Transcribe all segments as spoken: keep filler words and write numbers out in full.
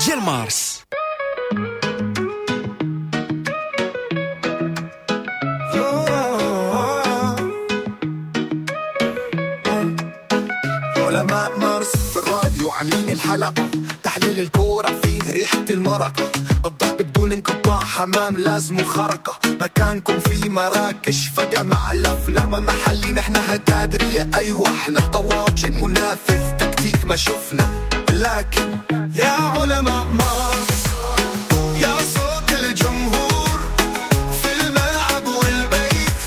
ديال مارس. علماء مارس في الراديو عاملين الحلقة، تحليل الكورة فيه ريحة المرقة، الضرب بدون انقطاع، حمام لازم خرقة، مكانكم في مراكش فجأة مع الأفلام محلي، نحن هتادرية أيوة احنا طواجن منافذ تكتيك ما شفنا، لكن يا علماء مارس يا صوت الجمهور في الملعب والبيت،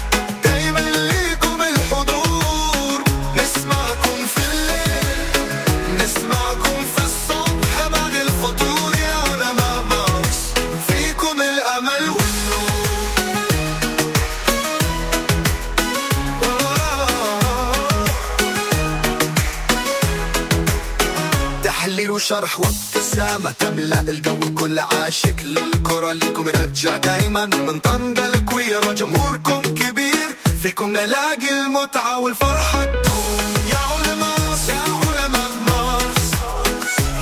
دايما ليكم الحضور، نسمعكم في الليل نسمعكم في الصبح بعد الفطور، يا علماء مارس فيكم الأمل والنور. تحليل وشرح وابتسامة تملأ الجو، كل عاشق للكرة ليكم رجع دايما من طنجة الكويرة، جمهوركم كبير فيكم نلاقي المتعة والفرحة تدوم. يا علماء يا علماء مارس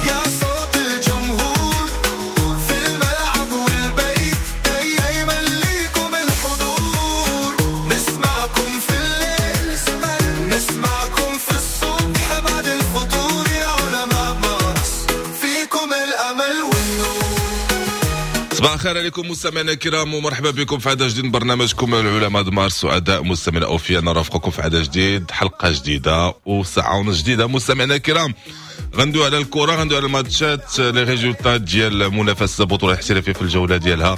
يا صوت الجمهور في الملعب والبيت، دايما ليكم الحضور، نسمعكم في الليل نسمعكم في الصبح بعد الفطور، يا علماء مارس فيكم الأمل والنور. صباح الخير عليكم مستمعينا الكرام، ومرحبا بكم في عدد جديد من برنامجكم العلماء د مارس. سعداء مستمعينا اوفياء نرافقكم في عدد جديد، حلقة جديدة وساعة ونص جديدة. مستمعينا الكرام غندوي على الكره، غندوي على الماتشات، les résultats ديال منافسه البطولة الاحترافية في الجولة ديالها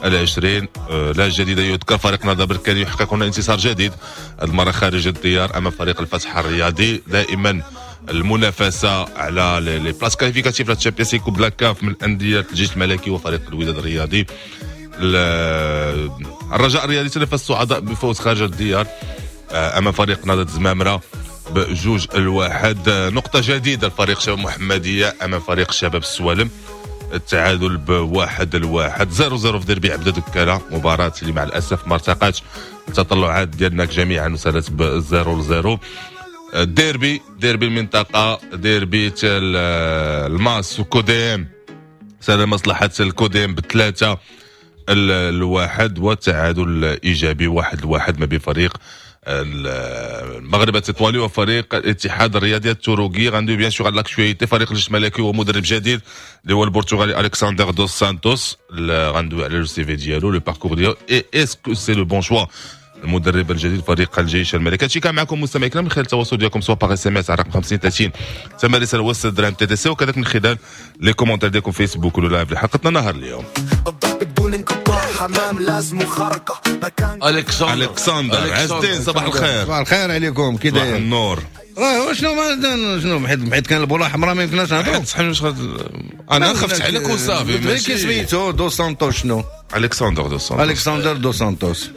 العشرين. لا جديد يذكر، فريق نهضة بركان يحقق هنا انتصار جديد المرة خارج الديار امام فريق الفتح الرياضي. دائما المنافسة على les places qualificatives la Champions League Coupe la CAF من اندية الجيش الملكي وفريق الوداد الرياضي. الرجاء الرياضي تنافس الصعداء بفوز خارج الديار امام فريق نهضة زمامرة بجوج الواحد. نقطة جديدة لفريق شباب محمديه امام فريق شباب السوالم، التعادل بواحد الواحد، zéro zéro في ديربي عبد دكاله، مباراة اللي مع الاسف ما ارتقتش التطلعات ديالنا جميعا وسالت ب zéro zéro. ديربي ديربي المنطقة، ديربي الماس وكوديم، سال مصلحة الكوديم بثلاثة الواحد، والتعادل ايجابي واحد الواحد ما بين فريق المغرب التطواني وفريق الاتحاد الرياضي التروكي. غندوي bien sûr على l'actualité، فريق الجيش الملكي ومدرب جديد اللي هو البرتغالي الكسندر دوس سانتوس، غندوي على le CV ديالو، le parcours ديالو، et est-ce que c'est le bon choix المدرب الجديد فريق الجيش الملكي. هادشي كان معكم مستمعي الكرام من خلال التواصل ديالكم سواء par SMS على رقم خمسين ثلاثين ثم رسالة وسط درهم TTC، وكذلك من خلال les commentaires ديالكم فيسبوك ولا live لحلقتنا نهار اليوم. الكسندر الكسندر عز الدين صباح الخير. صباح الخير عليكم، كي داير؟ صباح النور. راه شنو ما شنو حيت حيت كان البوله حمراء ما يمكنناش نهضروا. صحيح، انا خفت عليك وصافي. ماشي سميتو دو سانتوس، شنو؟ الكسندر دو سانتوس. الكسندر دو سانتوس.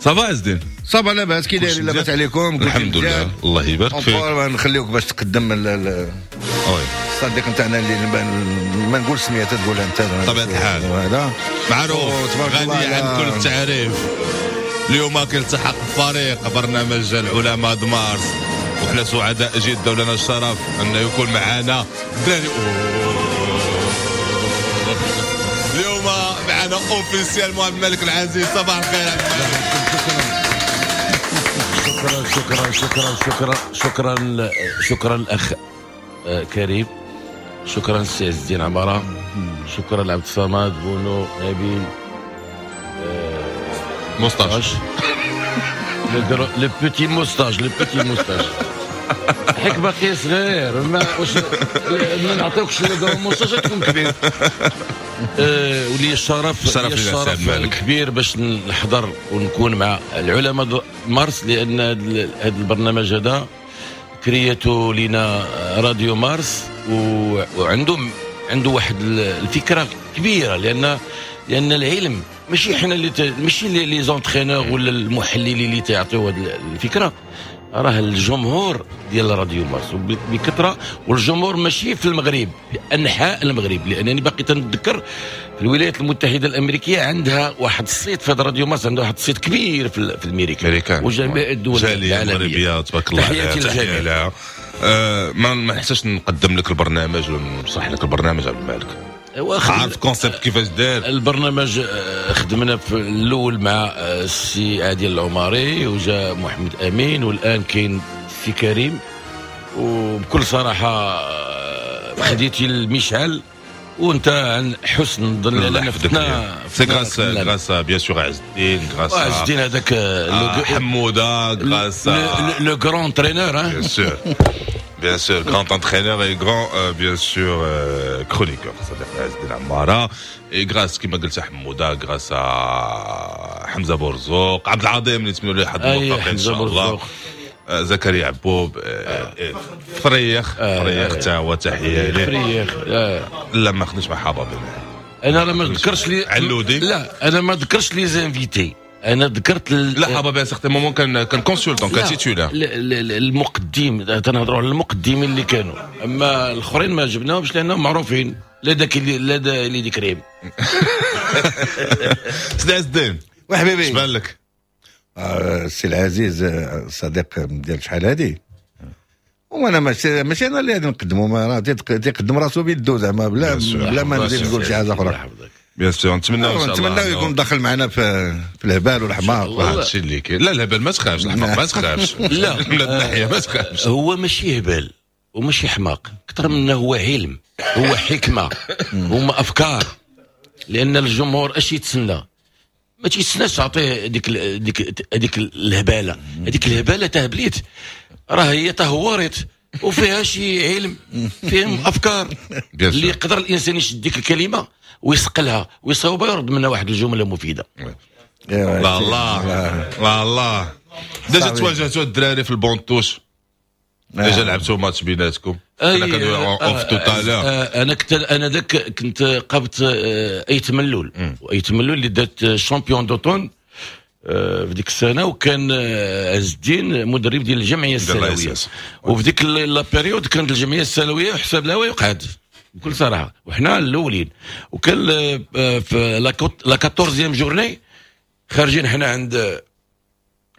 ça va عز الدين؟ ça va لاباس، كي داير؟ لاباس عليكم؟ الحمد لله، الله يبارك فيك. نخليوك باش تقدم الصديق نتاعنا اللي ما نقول سميته تقولها انت. بطبيعة الحال هذا معروف غني عن كل التعريف. اليوم كيلتحق بفريق برنامج العلماء د مارس، وحنا سعداء جدا ولنا الشرف انه يكون معنا الدراري. اليوم معنا officiellement عبد الملك العزيز. صباح الخير عبد الملك. شكرا شكرا شكرا شكرا شكرا شكرا الاخ كريم، شكرا السي عز الدين عمارة، شكرا لعبد الصمد بونو نبيل moustache، le petit moustache، le petit moustache حيك باقي صغير، ما واش ما نعطيوكش le grand moustache تكون كبير. أه ولي الشرف، لي الشرف الكبير باش نحضر ونكون مع العلماء مارس، لان هذا البرنامج هذا كريته لينا راديو مارس، وعنده عنده واحد الفكرة كبيرة، لان لان العلم ماشي حنا اللي ت... ماشي les entraîneurs ولا المحللين اللي تيعطيو هذه الفكرة، راه الجمهور ديال راديو مارس بكثرة، والجمهور ماشي في المغرب، في انحاء المغرب، لانني باقي تنتذكر في الولايات المتحدة الامريكية عندها واحد الصيت في راديو مارس، عندها واحد الصيت كبير في في امريكا وجميع الدول العالمية. تبارك الله. تحياتي للجميع. أه ما ما نحتاجش نقدم لك البرنامج ونشرح لك البرنامج عبد الملك. عارف concept كيفاش داير البرنامج. خدمنا في الاول مع السي عادل العماري وجا محمد امين، والان كاين السي كريم. وبكل صراحة خديتي المشعل وانت عن حسن ظن، لان فتنا c'est grâce grâce bien sûr عز الدين، grâce عز الدين هذاك حموده، grâce le grand entraîneur. bien sûr bien sûr grand entraîneur et grand bien sûr chroniqueur صديق عز الدين عمارة، et grâce كيما قلت حموده، grâce حمزة بورزوق، عبد العظيم اللي نتمنوا له حظ موفق ان شاء الله، زكريا عبوب، فريخ فريخ تا هو تحية ليه فريخ. لا ما خدمتش مع حبابي انا، راه ما ذكرتش لي علودي. لا انا ما ذكرتش les invités، انا ذكرت لا حبابي certain moment كان كان consultant، كان titulaire. المقدم، تنهضروا على المقدمين اللي كانوا، اما الاخرين ما جبناهمش لانهم معروفين، لا داك لا دا اللي دي كريم. سيدي عز الدين وحبيبي، اش بان لك؟ السي العزيز صديق ديال شحال هادي، وانا ماشي ماشي انا اللي غادي نقدمو، ما تيقدم راسو بيدو زعما، بلا بلا ما نزيد نقول شي حاجة اخرى. bien sûr نتمنى ان شاء الله، نتمنى يكون داخل معنا في في الهبال والحماق. هادشي اللي كاين. لا الهبال ما تخافش، الحماق ما تخافش. لا من الناحية ما تخافش، هو ماشي هبال وماشي حماق، اكثر منه هو علم، هو حكمه، هما افكار. لان الجمهور اش يتسنى؟ ما تيتسناش تعطيه ديك ديك هذيك الهباله، هذيك الهباله تهبليت راه هي تهورت وفيها شي علم، فيهم افكار اللي يقدر الانسان يشد ديك الكلمة ويسقلها ويصاوبها ويرد منها واحد الجملة مفيدة. لا الله لا الله. déjà تواجهتوا الدراري في ال banc de touche، déjà لعبتوا ماتش بيناتكم؟ انا كندوي off tout à l'heure. انا كنت انا ذاك كنت قابت ايت ملول، وايت ملول اللي دات champion d'automne في ديك السنة، وكان عز الدين مدرب ديال الجمعية السلويه، وفي ديك la période كانت الجمعية السلويه وحساب لها ويقعد بكل صراحة، وحنا الاولين. وكان في la quatorzième journée خارجين حنا عند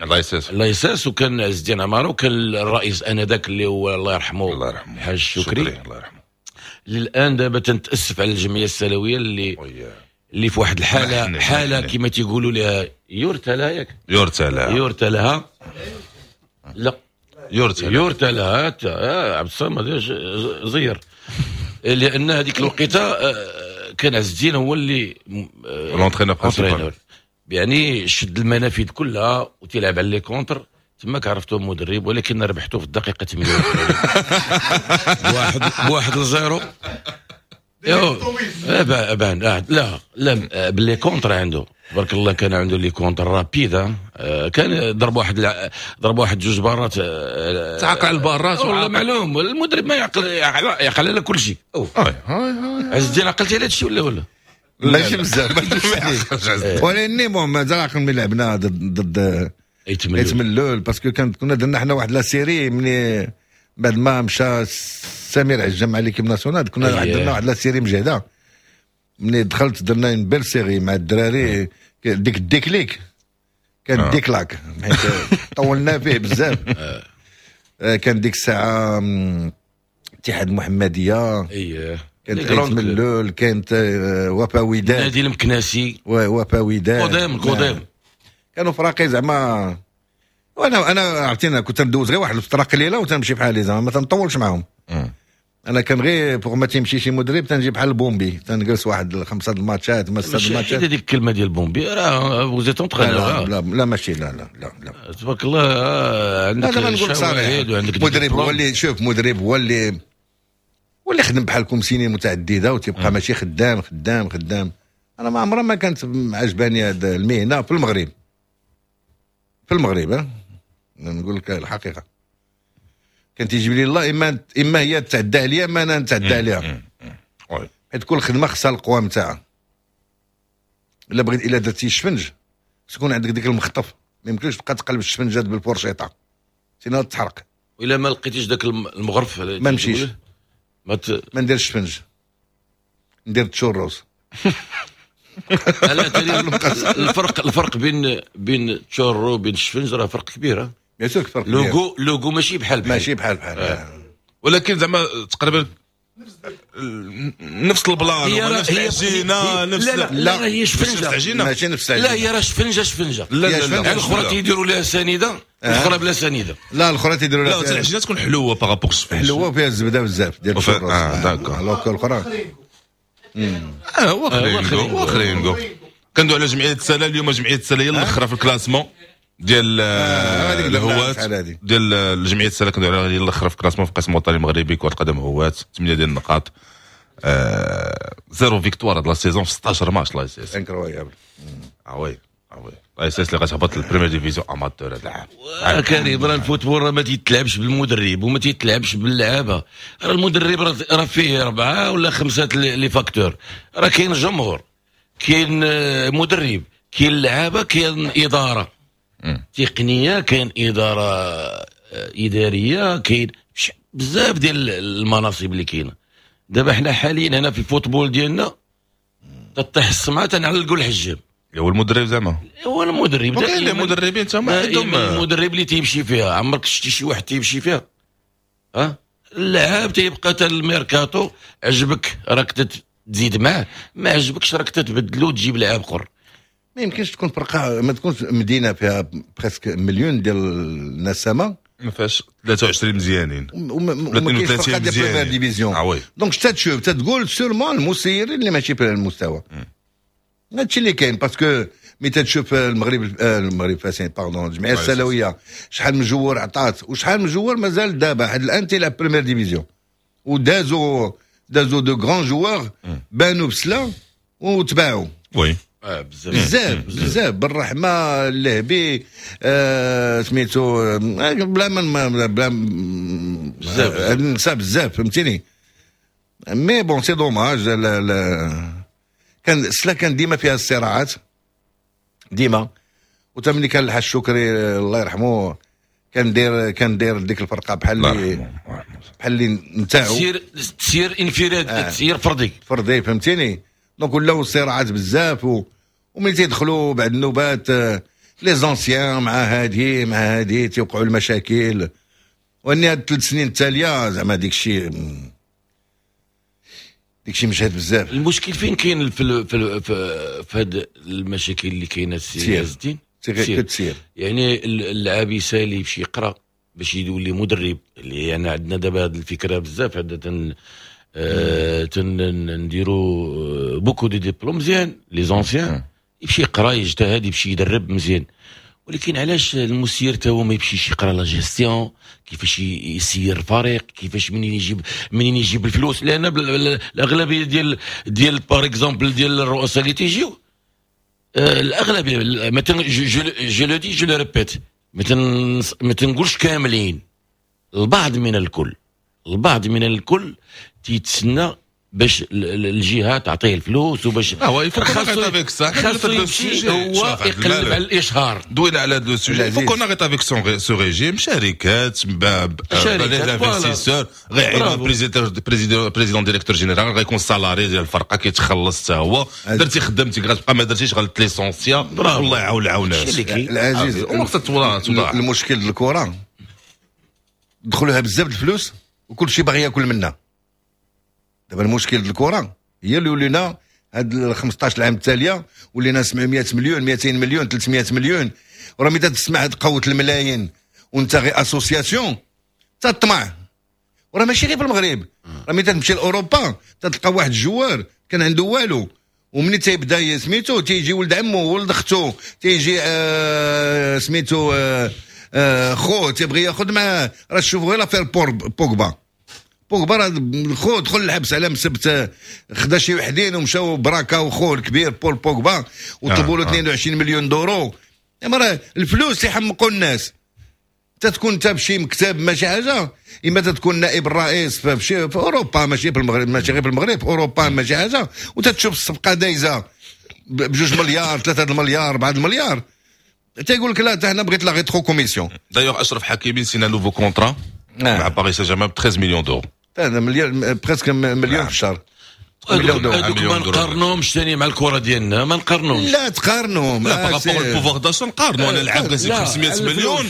الله يساس الله يساس، وكان عز الدين عمارة، وكان الرئيس انذاك اللي هو الله يرحمه الله يرحمه الحاج شكري الله يرحمه. للان دابا تنتاسف على الجمعية السلويه اللي اللي في واحد الحالة حاله كما تيقولوا لها يرثى لها، ياك يرثى لها يرثى لها لا يرثى يرثى لها عبد الصمد زير، لان هذيك الوقيته كان عز الدين هو اللي l'entraîneur principal، يعني شد المنافذ كلها وتلعب على les contres. تماك عرفتو مدرب، ولكن ربحته في الدقيقة ثمانية وثمانين بواحد بواحد ل zéro. بان لا لا ب les contres عنده تبارك الله، كان عنده les contres rapides، كان ضرب واحد ضرب واحد جوج بارات، تعاقل على البارات والله معلوم المدرب ما يعقل يعقل على كل شيء. عز الدين عقلتي على هذا الشيء ولا ولا؟ ماشي بزاف ولكن bon مازال عقل ملي لعبنا ضد ضد ايت ملول، parce que كانت كنا درنا حنا واحد la série ملي بعد ما مشى سمير عجام مع l'équipe nationale، كنا درنا واحد la série مجهده. ملي دخلت درنا une belle série مع الدراري، ديك ال déclic كان déclic حيت طولنا فيه بزاف. كان ديك الساعة اتحاد المحمدية، اييه كانت ايت ملول، كانت وفا وداد، نادي المكناسي، وفا وداد، قدام قدام كانوا فراقي زعما. وانا انا عرفتينا كنت ندوز غير واحد الفترة قليله وتنمشي بحالي زعما، ما تنطولش معاهم. انا كان غير pour ما تيمشي شي مدرب تنجي بحال ال pompier، تنجلس واحد خمسة الماتشات ما ستة الماتشات. ماشي هذيك الكلمة ديال ال pompier، راه vous êtes entraîneur. لا لا ماشي لا لا لا لا تبارك الله عندك لا نقول صريح، مدرب هو اللي شوف، مدرب هو اللي هو اللي خدم بحالكم سنين متعددة وتبقى ماشي خدام خدام خدام. انا ما عمرها ما كانت عجباني هذه المهنة في المغرب، في المغرب ها نقول لك الحقيقة. كان تيجيب لي الله اما اما هي تعدى عليا اما انا نتعدى عليها، حيت كل خدمة خصها القوام تاعها. الا بغيت الا درتي الشفنج خص يكون عندك ديك المخطف، ما يمكنش تبقى تقلب الشفنجات بالفورشيطه sinon تحرق. الا ما لقيتيش داك المغرف ما نمشيش، ما, ت... ما نديرش الشفنج، ندير تشوروس. لا تاني الفرق الفرق بين بين تشورو وبين الشفنج راه فرق كبير. bien sûr فرق le goût le goût ماشي بحال بحال، ماشي بحال بحال. آه. ولكن زعما تقريبا نفس ال plan، نفس العجينه، نفس لا لا لا، هي شفنجه. العجينة ماشي نفس العجينه. لا، هي راه شفنجه شفنجه. لا لا لا، الاخرى تيديروا لها سنيده، الاخرى بلا سنيده. لا، الاخرى تيديروا لها، لا، العجينة تكون حلوة par rapport الشفنج. حلوة وفيها الزبدة بزاف ديال الشروس. اه d'accord. alors الاخرى اه هو خرينكو، هو خرينكو. كندوي على جمعية سلا اليوم. جمعية سلا هي الاخرى في ال classement ديال الهوات، ديال الجمعية سلا. كندوي على هي الاخرى في ال classement في القسم الوطني المغربي كره القدم هوات، ثمانية ديال النقاط، آه zéro victoire هاد la saison في ستاشر ماتش l'ASS. incroyable. اه oui اه oui، l'ASS اللي غتهبط لل première division amateur هذا العام. كريم، راه ال football راه ما تيتلعبش بالمدرب وما تيتلعبش باللعابه. راه المدرب راه فيه اربعة ولا خمسة les facteurs. راه كاين جمهور، كاين مدرب، كاين لعابه، كاين ادارة تقنيه، كاين ادارة اداريه، كاين بزاف ديال المناصب اللي كاينه. دابا حنا حاليا هنا في ال football ديالنا تطيح السمعة تنعلقوا الحجام. هو المدرب زعما. هو المدرب. كاين المدربين تما عندهم المدرب اللي تيمشي فيها. عمرك شتي شي واحد تيمشي فيها؟ ها اللاعب تيبقى حتى الميركاتو، عجبك راك تزيد معاه، ما عجبكش راك تتبدلو وتجيب لاعب اخر. ما يمكنش تكون فرقه، ما تكونش مدينة فيها presque مليون ديال النسمه ما فيهاش ثلاثة وعشرين مزيانين. وما كاينش فرقه ديال première division. آه oui. donc تشوف تقول sûrement المسيرين اللي ماشي في المستوى. هادشي اللي كاين، parce que ملي تشوف المغرب المغرب فاسين، pardon، الجمعية السلويه، شحال من joueur عطات وشحال من joueur مازال دابا حد الان تيلعب première division، ودازوا دازوا de grands joueurs بانوا بسلا وتباعوا. oui. آه بزاف. بزاف بزاف، بالرحمه، اللهبي، آه سميتو، آه بلا ما بلا بزاف. نسى بزاف، فهمتيني؟ mais bon، c'est dommage. كان سلا كان ديما فيها الصراعات ديما، وتا ملي كان الحاج شكري الله يرحمه كان داير كان داير ديك الفرقة بحال اللي بحال اللي نتاعو. تسير تسير انفراد آه. تسير فردي. فردي، فهمتيني؟ donc ولاو الصراعات بزاف و... وملي تيدخلوا بعد النوبات les anciens مع هادي مع هادي تيوقعوا المشاكل. واني هاد الثلاث سنين التالية زعما ديك الشيء ديك الشيء مشهد بزاف. المشكل فين كاين في في في, في هاد المشاكل اللي كاينه السي عز الدين؟ كتسير. يعني اللاعب يسالي يمشي يقرا باش يولي مدرب، اللي يعني عندنا دابا هذه الفكرة بزاف، عندنا تن آه تن نديرو beaucoup de diplômes. مزيان، les anciens يمشي يقرا، يجتهد، يمشي يدرب، مزيان. ولكن علاش المسير تا هو ما يمشيش يقرا la gestion، كيفاش يسير الفريق، كيفاش منين يجيب منين يجيب الفلوس؟ لان الاغلبية ديال ديال par exemple ديال الرؤساء اللي تيجيو، آه، الاغلبيه، مثلا je le dis، je le répète، ما تنقولش كاملين، البعض من الكل، البعض من الكل تيتسنى باش الجهة تعطيه الفلوس وباش اه خاصو خاصو يمشي هو يقلب على الاشهار. دوينا على هذا le sujet، faut qu'on arrête avec ce régime. شركات، les investisseurs غيعينوا président président directeur général، غيكون salarié ديال الفرقه، كيتخلص حتى هو. درتي خدمتك غتبقى، ما درتيش غت licencier. والله يعاون العاونات. العزيز، المشكل الكره دخلوها بزاف الفلوس وكل شيء باغي ياكل منها. دابا المشكل ديال الكره هي اللي ولينا هاد ال خمسطاش عام التالية ولينا سبعمية مليون، ميتين مليون، ثلاثمية مليون. وراه ملي تسمع هاد قوة الملايين وانت غير association تطمع. وراه ماشي غير في المغرب، راه ملي تمشي لاوروبا تلقى واحد ال joueur كان عنده والو، ومني تيبدا سميتو تيجي ولد عمو، ولد اختو، تيجي آه سميتو آه آه خو تيبغي ياخذ معاه. راه شوفوا غير l'affaire بوغبا. بوغبا راه خو دخل الحبس على مسبت خدا شي وحدين ومشاو براكا وخو الكبير بول بوغبا وطلبوا له اثنين وعشرين مليون d'euros. راه الفلوس يحمقوا الناس. تتكون انت بشي مكتب ماشي حاجه، اما تتكون نائب الرئيس في شي في اوروبا، ماشي في المغرب، ماشي غير في المغرب، في اوروبا ماشي حاجه، وتتشوف الصفقة دايزه بجوج مليار، ثلاثة المليار، أربعة المليار، تيقول لك لا، حنا بغيت la rétrocommission. d'ailleurs اشرف حكيمي signa nouveau contrat مع باريس سان جيرمان ب ثلاثة عشر millions d'euros. هذا مليون، presque مليون في الشهر. هذوك ما نقارنوهمش ثاني مع الكره ديالنا، ما نقارنوهمش. لا تقارنهم. لا، par rapport ال pouvoir d'achat نقارنوا. انا العاب خمسمية مليون،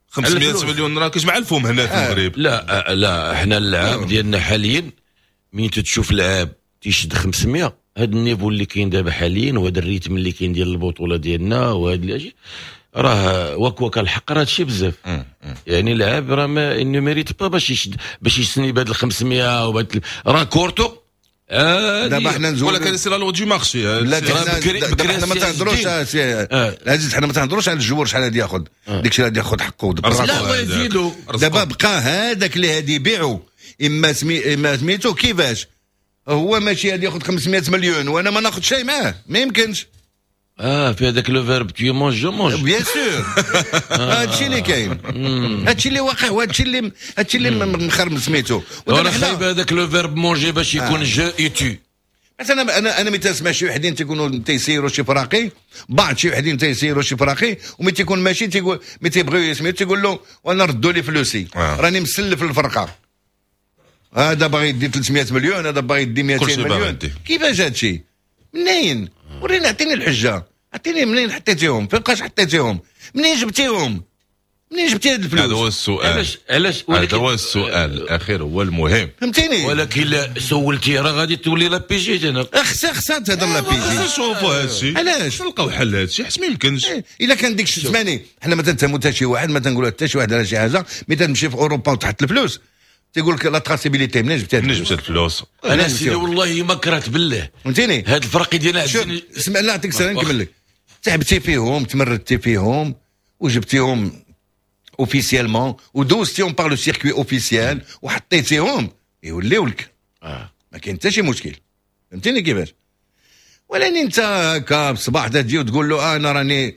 خمسمية مليون راه كيجمع الفم هنا في المغرب. لا لا، احنا اللعاب ديالنا حاليا مين تتشوف لعاب تيشد خمسمية، هذا ال niveau اللي كاين دابا حاليا وهذا ال rythme اللي كاين ديال البطولة ديالنا وهذا اللي راه واك واك الحق راه هادشي بزاف. يعني لعاب راه ما ne mérite pas باش يشد باش يسني بهاد ال خمسمية وبهاد راه كورتو. دابا حنا نزول ولكن c'est la loi du marché. لا دابا حنا ما تهضروش العزيز، حنا ما تهضروش على ال joueur شحال غادي ياخذ، داك الشيء غادي ياخذ حقه. لا ويزيدو دابا بقى هذاك اللي غادي يبيعو اما سمي اما سميتو كيفاش هو ماشي غادي ياخذ خمسمية مليون وانا ما ناخذ شيء معاه، ما يمكنش. اه في هذاك le verbe tu manges je mange. bien sûr هادشي اللي كاين، هادشي اللي واقع، وهادشي اللي هادشي اللي مخرم سميتو. وانا خايب هذاك le verbe manger باش يكون je et tu. مثلا انا انا ملي تسمع شي وحدين تيكونوا تيسيروا شي فراقي، بعض شي وحدين تيسيروا شي فراقي، وملي تيكون ماشي تيقول ملي تيبغيو يسميو تيقول له وانا ردوا لي فلوسي، آه. راني مسلف الفرقة. هذا باغي يدي ثلاثمية مليون، هذا باغي يدي مئتين مليون. كيفاش هادشي؟ منين؟ وريني، اعطيني الحجة، اعطيني منين حطيتيهم، فوقاش حطيتيهم، منين جبتيهم، منين جبتي هاد الفلوس؟ هذا هو السؤال. علاش علاش هذا هو السؤال الاخير هو المهم، فهمتيني؟ ولكن لا سولتي راه غادي تولي la PJ انا. خصها خصها تهضر la PJ. نشوفوا هذا الشيء. علاش؟ نلقاو حل هذا الشيء حيت ما يمكنش. الا كان ديك سمعني، حنا ما تنتهموا حتى شي واحد، ما تنقولوا حتى شي واحد على شي حاجة، mais تمشي في اوروبا وتحط الفلوس تيقول لك la traçabilité، منين جبتي منين جبت الفلوس؟ انا سيدي والله ما كرهت بالله، فهمتيني؟ هاد الفرق ديالنا. شوف اسمع، لا نعطيك سنة نكمل لك. تعبتي فيهم، تمردتي فيهم، وجبتيهم officiellement، ودوزتيهم par le circuit officiel، وحطيتيهم يوليو لك. آه. ما كاين حتى شي مشكل، فهمتيني كيفاش؟ ولكن انت هكا بصباح تجي وتقول له انا راني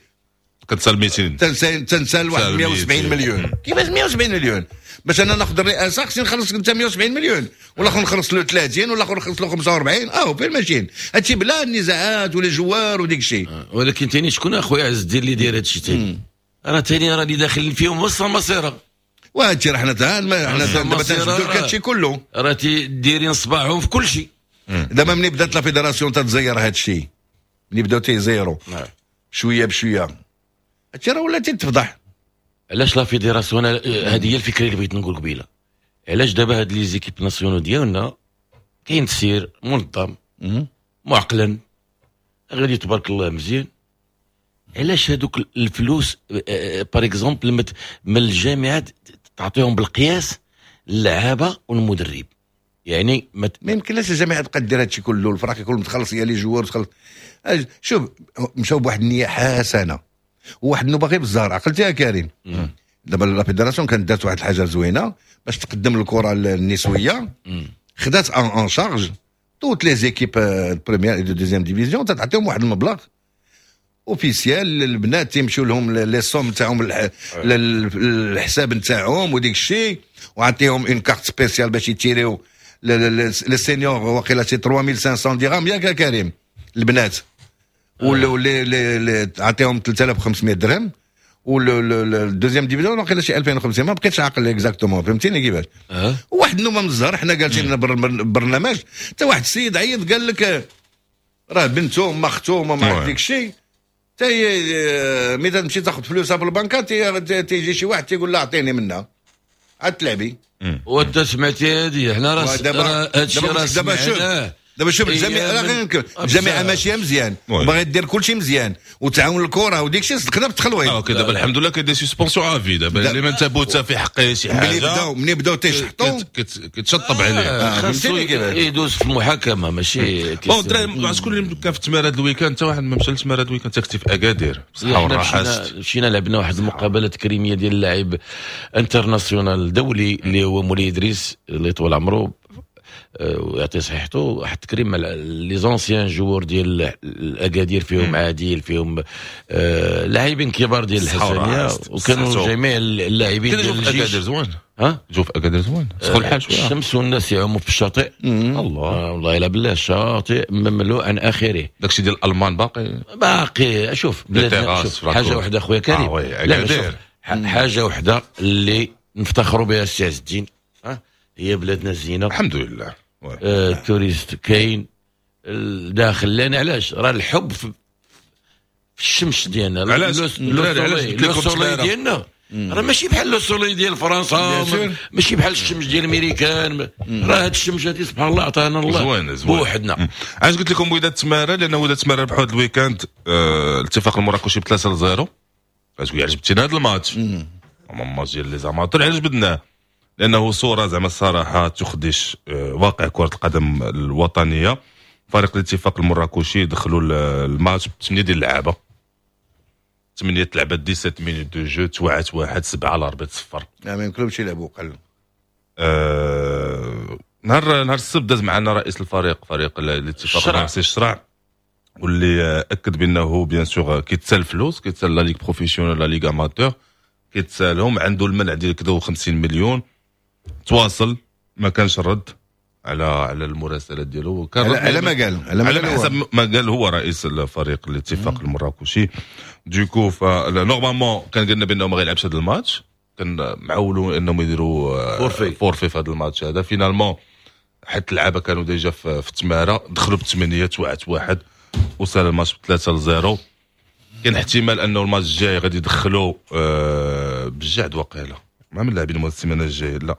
كتسال مئتين، تنسال تنسال واحد مية وسبعين مليون. كيفاش مية وسبعين مليون؟ باش انا ناخذ الرئاسة خصني نخلص انت مية وسبعين مليون، والاخر نخلص له ثلاثين، والاخر نخلص له خمسة وأربعين. اه فين ماشيين هادشي؟ بلا النزاعات و les joueurs وديك الشيء. آه. ولكن ثاني شكون اخويا عز الدين اللي داير هادشي ثاني؟ راه ثاني راه اللي داخلين فيهم وسط المصيره. وهادشي راه حنا حنا دابا تنجبدو لك هادشي كله، راه دايرين صباعهم في كل شيء. دابا ملي بدات la fédération تتزير هادشي، ملي بداو تيزيروا شوية بشوية، هادشي راه ولا تيتفضح. علاش la fédération؟ هذه هي الفكرة اللي بغيت نقول قبيلة. علاش دابا هاد les équipes nationales ديالنا كاين تسير منظم معقلا غادي تبارك الله مزيان، علاش هادوك الفلوس par exemple من الجامعات تعطيهم بالقياس اللعابه والمدرب؟ يعني ما يمكنلاش الجامعة تبقى دير هادشي كله، الفرق كله متخلص هي les joueurs تخلص. شوف مشاو بواحد النية حسنه وواحد النوبة غير بالزهر، عقلتي يا كريم؟ دابا la fédération كانت دارت واحد الحاجة زوينة باش تقدم الكره النسوية، خدات en charge toutes les équipes première et deuxième division، تعطيهم واحد المبلغ officiel، البنات تيمشيو لهم les sommes تاعهم الحساب نتاعهم وديك الشيء، وعطيهم une carte spéciale باش يتيريو les seniors، واقيلا سي ثلاثة آلاف وخمسمية درهم ياك كريم البنات، ولا les عطيهم ثلاثة آلاف وخمسمية درهم، وال deuxième division واقيلا شي ألفين وخمسمية، ما بقيتش عاقل exactement، فهمتيني كيفاش؟ أه. واحد النومة من الزهر حنا جالسين برنامج حتى واحد السيد عيط قال لك راه بنته ما اختو ما عرفت ديك الشيء، تي ملي تمشي تاخذ فلوسها في البنكه تيجي شي واحد تيقول لها اعطيني منها عاد تلعبي. وانت سمعتي هذه؟ حنا راه هادشي راه دابا شوف دابا شوف الجامعة الجامعة ماشية مزيان وباغي دير كلشي مزيان وتعاون الكره وديك الشيء، صدقنا بالتخلويط. OK دابا الحمد لله كاين des suspensions à vie، دابا اللي ما انتبهوا في حقه شي حاجة ملي بداو ملي بداو تيشحطوا كتشطب عليه، خاصو يدوز في المحاكمة ماشي. bon الدراري شكون اللي كان في التماره هذا ال week-end؟ حتى واحد ما مشى للتماره هذا ال week-end، كنتي في اكادير بصحة والراحة. مشينا لعبنا واحد المقابلة تكريميه ديال اللاعب international دولي اللي هو مولاي ادريس اللي طول عمره ويعطي صحته، واحد التكريم مع les anciens joueurs ديال الاكادير، فيهم عادل، فيهم آه لاعبين كبار ديال الحسنيه، وكانوا جميع اللاعبين ديال الجيش. اكادير زوين، ها جو في اكادير زوين، سخون الحال شوية، الشمس والناس يعوموا في الشاطئ. الله آه والله الا بالله الشاطئ مملوء عن اخره. داكشي ديال الالمان باقي باقي. شوف بلادنا، شوف حاجة واحدة خويا كريم، آه لا حاجة واحدة اللي نفتخروا بها السي عز الدين، ها هي بلادنا الزينة الحمد لله. آه ال touristes كاين الداخل، لان علاش راه الحب في, في الشمس ديالنا، علاش le soleil ديالنا. راه ماشي بحال le soleil ديال فرنسا، ماشي بحال الشمس ديال الميريكان. راه هاد الشمس هادي سبحان الله عطانا الله زوين زوين بوحدنا. علاش قلت لكم وداد تماره؟ لان وداد تماره ربحوا هذا ال week-end اه الاتفاق المراكشي ب ثلاثة لصفر. تقول علاش جبتينا هذا الماتش؟ ماتش ديال les amateurs، علاش جبدناه؟ لانه صوره زعما الصراحة تخدش اه واقع كره القدم الوطنية. فريق الاتفاق المراكشي دخلوا الماتش بثمانية ديال اللعابه، ثمانية لعبات dix-sept minutes de jeu، توعت واحد سبعة l'arbitre صفر. ما يمكنلهمش يلعبوا قل. آه نهار نهار السبت داز معنا رئيس الفريق، فريق الاتفاق الرئيسي الشرع، واللي اكد بانه bien sûr كيتسال فلوس، كيتسال la ligue professionnelle، la ligue amateur، كيتسالهم، عنده المنع ديال كذا خمسين مليون. تواصل ما كانش الرد على على المراسلات ديالو. كان على ما قال، على ما قال حسب ما قال هو رئيس الفريق الاتفاق المراكشي. du coup normalement كان قلنا بانه ما غيلعبش هذا الماتش، كان معولوا انهم يديروا forfait forfait في هذا الماتش هذا. finalement حتى اللعابه كانوا déjà في, في التماره، دخلوا بثمانية، توعت واحد وصل الماتش ب ثلاثة لصفر. كاين احتمال انه الماتش الجاي غادي يدخلوا آه بالجعد وقيله ما من اللاعبين السيمانة الجاية لا.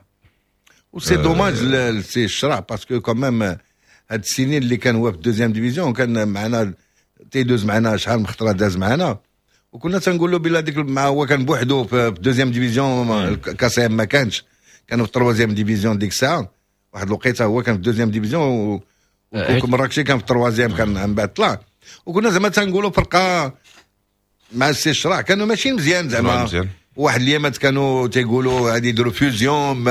و c'est dommage سي الشرع parce que quand même هاد السنين اللي كان هو في deuxième division كان معنا، تيدوز معنا شحال من خطره داز معنا، وكنا تنقولوا بلا ديك مع هو كان بوحدو في deuxième division، كاسيم ما كانش، كانوا في troisième division ديك الساعة. واحد الوقيته هو كان في deuxième division ومراكشي كان في troisième، كان من بعد طلع، وكنا زعما تنقولوا فرقه مع السي الشرع كانوا ماشيين مزيان زعما. واحد الايامات كانوا تيقولوا غادي يديروا fusion،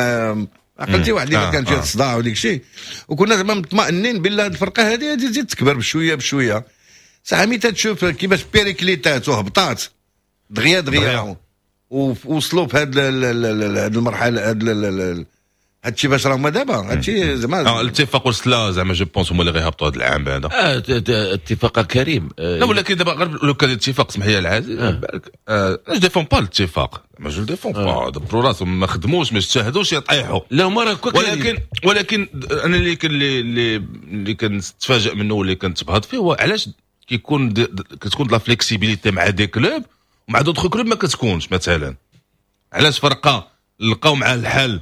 عقلتي واحد اللي آه كان فيها الصداع وديك الشيء، وكنا زعما مطمئنين بالله الفرقة هذه غادي تزيد تكبر بشوية بشوية. ساعة ملي تشوف كيفاش périclitات وهبطات دغيا دغيا ووصلوا في هذه المرحلة، هذا هادشي باش راهما دابا هادشي زعما اه الاتفاق وسلا زعما je pense هما اللي غيهبطوا هذا العام هذا. اه اتفاق كريم. آه لا ولكن دابا غير لو كان الاتفاق، اسمح لي العزيز، بالك آه je défends pas الاتفاق، ما je défends pas، دبروا راسهم، ما خدموش، ما اجتهدوش، يطيحوا. لا هما راه ولكن ولكن انا اللي كان اللي اللي كنتفاجئ منه واللي كنتبهض فيه هو علاش كيكون كتكون la flexibilité مع des clubs ومع d'autres clubs ما كتكونش. مثلا علاش فرقه لقاو مع الحل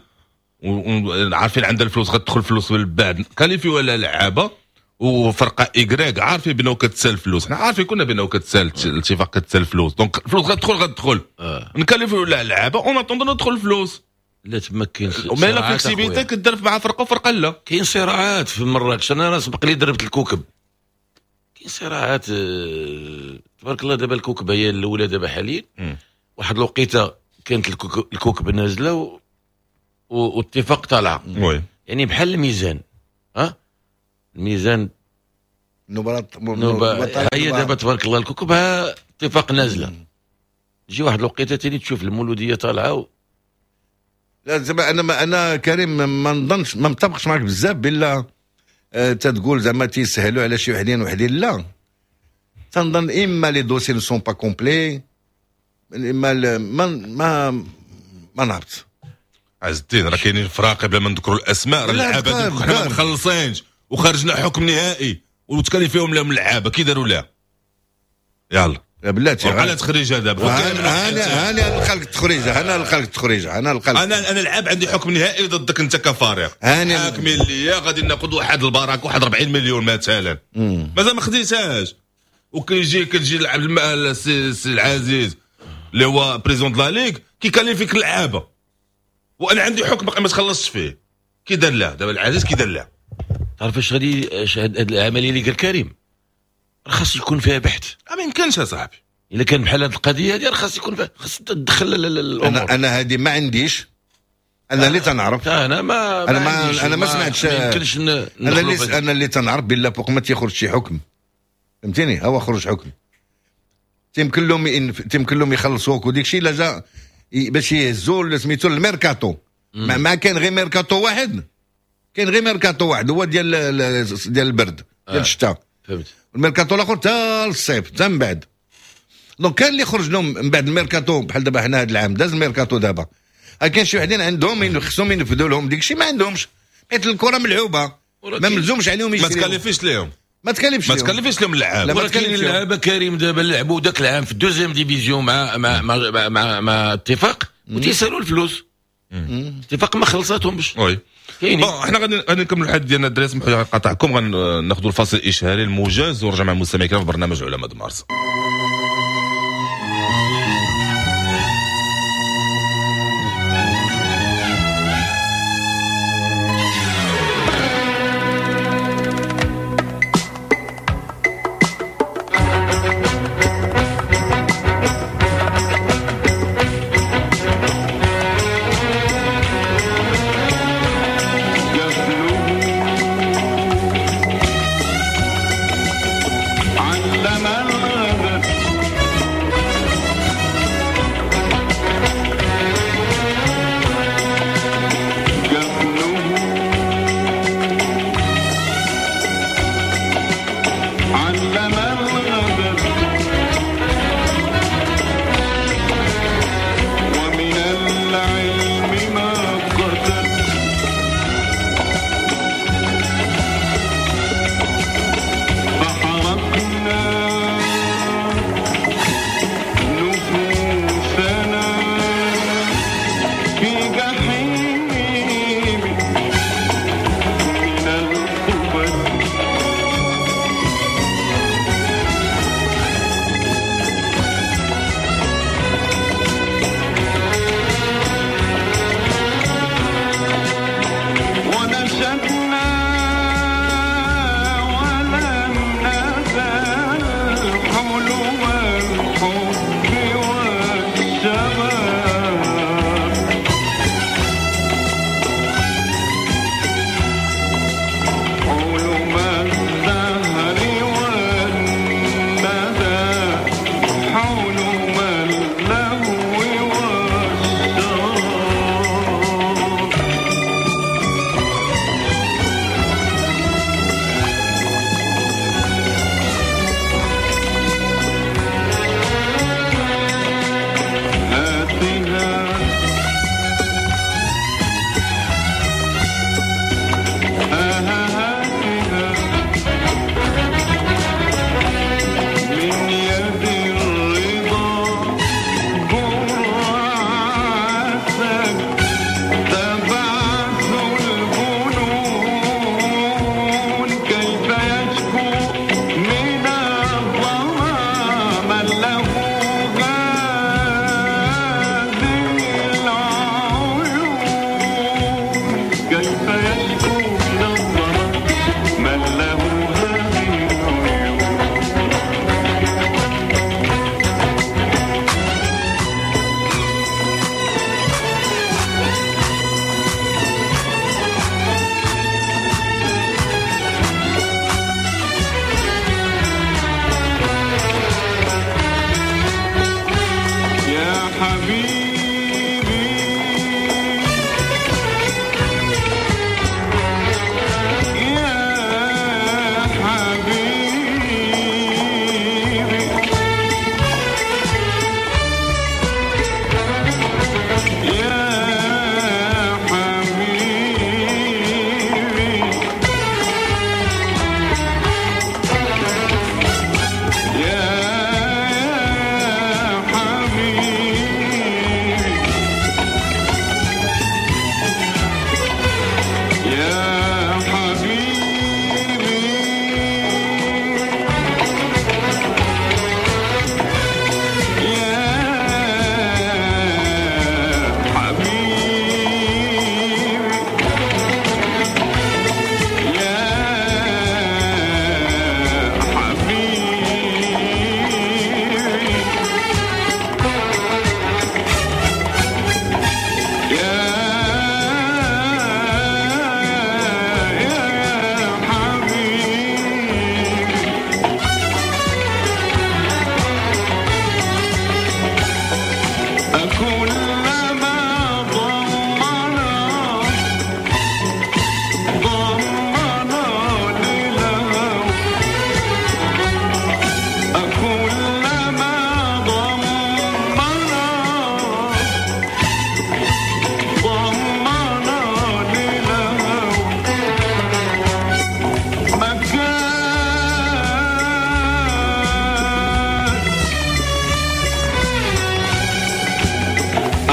وعارفين عندها الفلوس، غتدخل فلوس من بعد qualifier ولا لعابه، وفرقه Y عارفين بانه كتسال فلوس، حنا عارفين كنا بانه كتسال الاتفاق كتسال فلوس، donc الفلوس غتدخل غتدخل آه. ن qualifier ولا لعابه en attendant ندخل الفلوس. لا تما كاين mais la flexibilité كدير مع فرقه وفرقه لا. كاين صراعات في مراكش، انا سبق لي دربت الكوكب، كاين صراعات آه، تبارك الله. دابا الكوكب هي الاولى دابا حاليا. واحد الوقيته كانت الكوكب نازله و... واتفاق طالعه، oui. يعني بحال الميزان، ها الميزان نوبة نوبة هي دابا تبارك الله الكوكب ها اتفاق نازله، تجي واحد الوقيته ثاني تشوف المولوديه طالعه و... لا زعما انا ما انا كريم ما نظنش، ما متفقش معك بزاف بلا آه تتقول زعما تيسهلوا على شي وحدين وحدين. لا تنظن اما les dossiers ne sont pas complets، اما ما ما ما نعرفت. عز الدين راه كاينين فراقي بلا ما نذكروا الاسماء، راه اللعابه حنا ما مخلصينش وخرجنا حكم نهائي وت qualifier هم لهم اللعابه، كي داروا لها؟ يلا بلاتي على تخريجه دابا. انا انا نلقى لك التخريجه، انا نلقى لك التخريجه، انا نلقى انا انا لعاب عندي حكم نهائي ضدك انت كفريق، حاكمين ليا غادي ناخذ واحد البركة واحد أربعين مليون مثلا، مازال ما خديتهاش، وكيجي كتجي لعب السي العزيز اللي هو président la ligue كي qualifier اللعابه وانا عندي حكم باقي ما تخلصش فيه، كي دار له دابا العزيز؟ كي دار له؟ تعرف اش غادي هاد العملية اللي قال كريم خاص يكون فيها بحث. ما يمكنش يا صاحبي. الا كان بحال هذه القضية هذه خاص يكون فيها، خاص تدخل الامور. انا انا هذه ما عنديش، انا اللي تنعرف انا ما انا ما انا ما سمعتش. ما يمكنش. انا اللي انا اللي تنعرف بالله فوق ما تيخرج شي حكم، فهمتيني، هو خرج حكم تيمكن لهم تيمكن لهم يخلصوك وديك الشيء لا جا باش يهزوا سميتو الميركاتو. ما, ما كاين غير ميركاتو واحد، كاين غير ميركاتو واحد هو ديال ديال البرد ديال الشتاء، فهمت. الميركاتو الاخر حتى الصيف حتى من بعد. donc كان اللي خرج لهم من بعد الميركاتو بحال دابا حنا هذا العام داز الميركاتو دابا، كاين شي وحدين عندهم خصهم ينفذوا لهم ديك الشيء ما عندهمش، حيت الكره ملعوبه ما ملزومش عليهم يشريو، ما ت qualifier ش ليهم. ما تكلفش ما تكلفش لهم اللعاب. ولكن اللعابه كريم دابا لعبوا ذاك العام في ال deuxième division مع مع مع مع, مع, مع اتفاق وتيسالوا الفلوس. اتفاق ما خلصاتهمش. oui bon حنا غادي غادي نكملوا الحديث ديالنا الدراري، سمحوا لي نقاطعكم، غناخذوا الفاصل الاشهاري الموجز ونرجع مع المستمعين الكرام في برنامج علماء مارس. علم الغد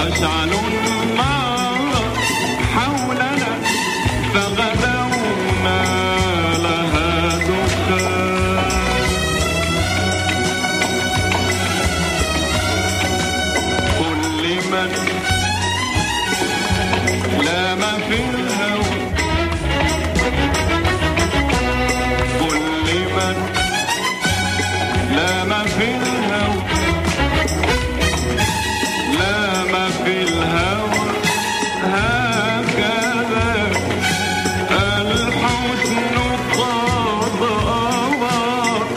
أشعلوا النار حولنا فغدونا لها دخان. قل لمن لام في الهوى، قل لمن لام في الهوى، لام في الهوى هكذا الحسن قد أغار.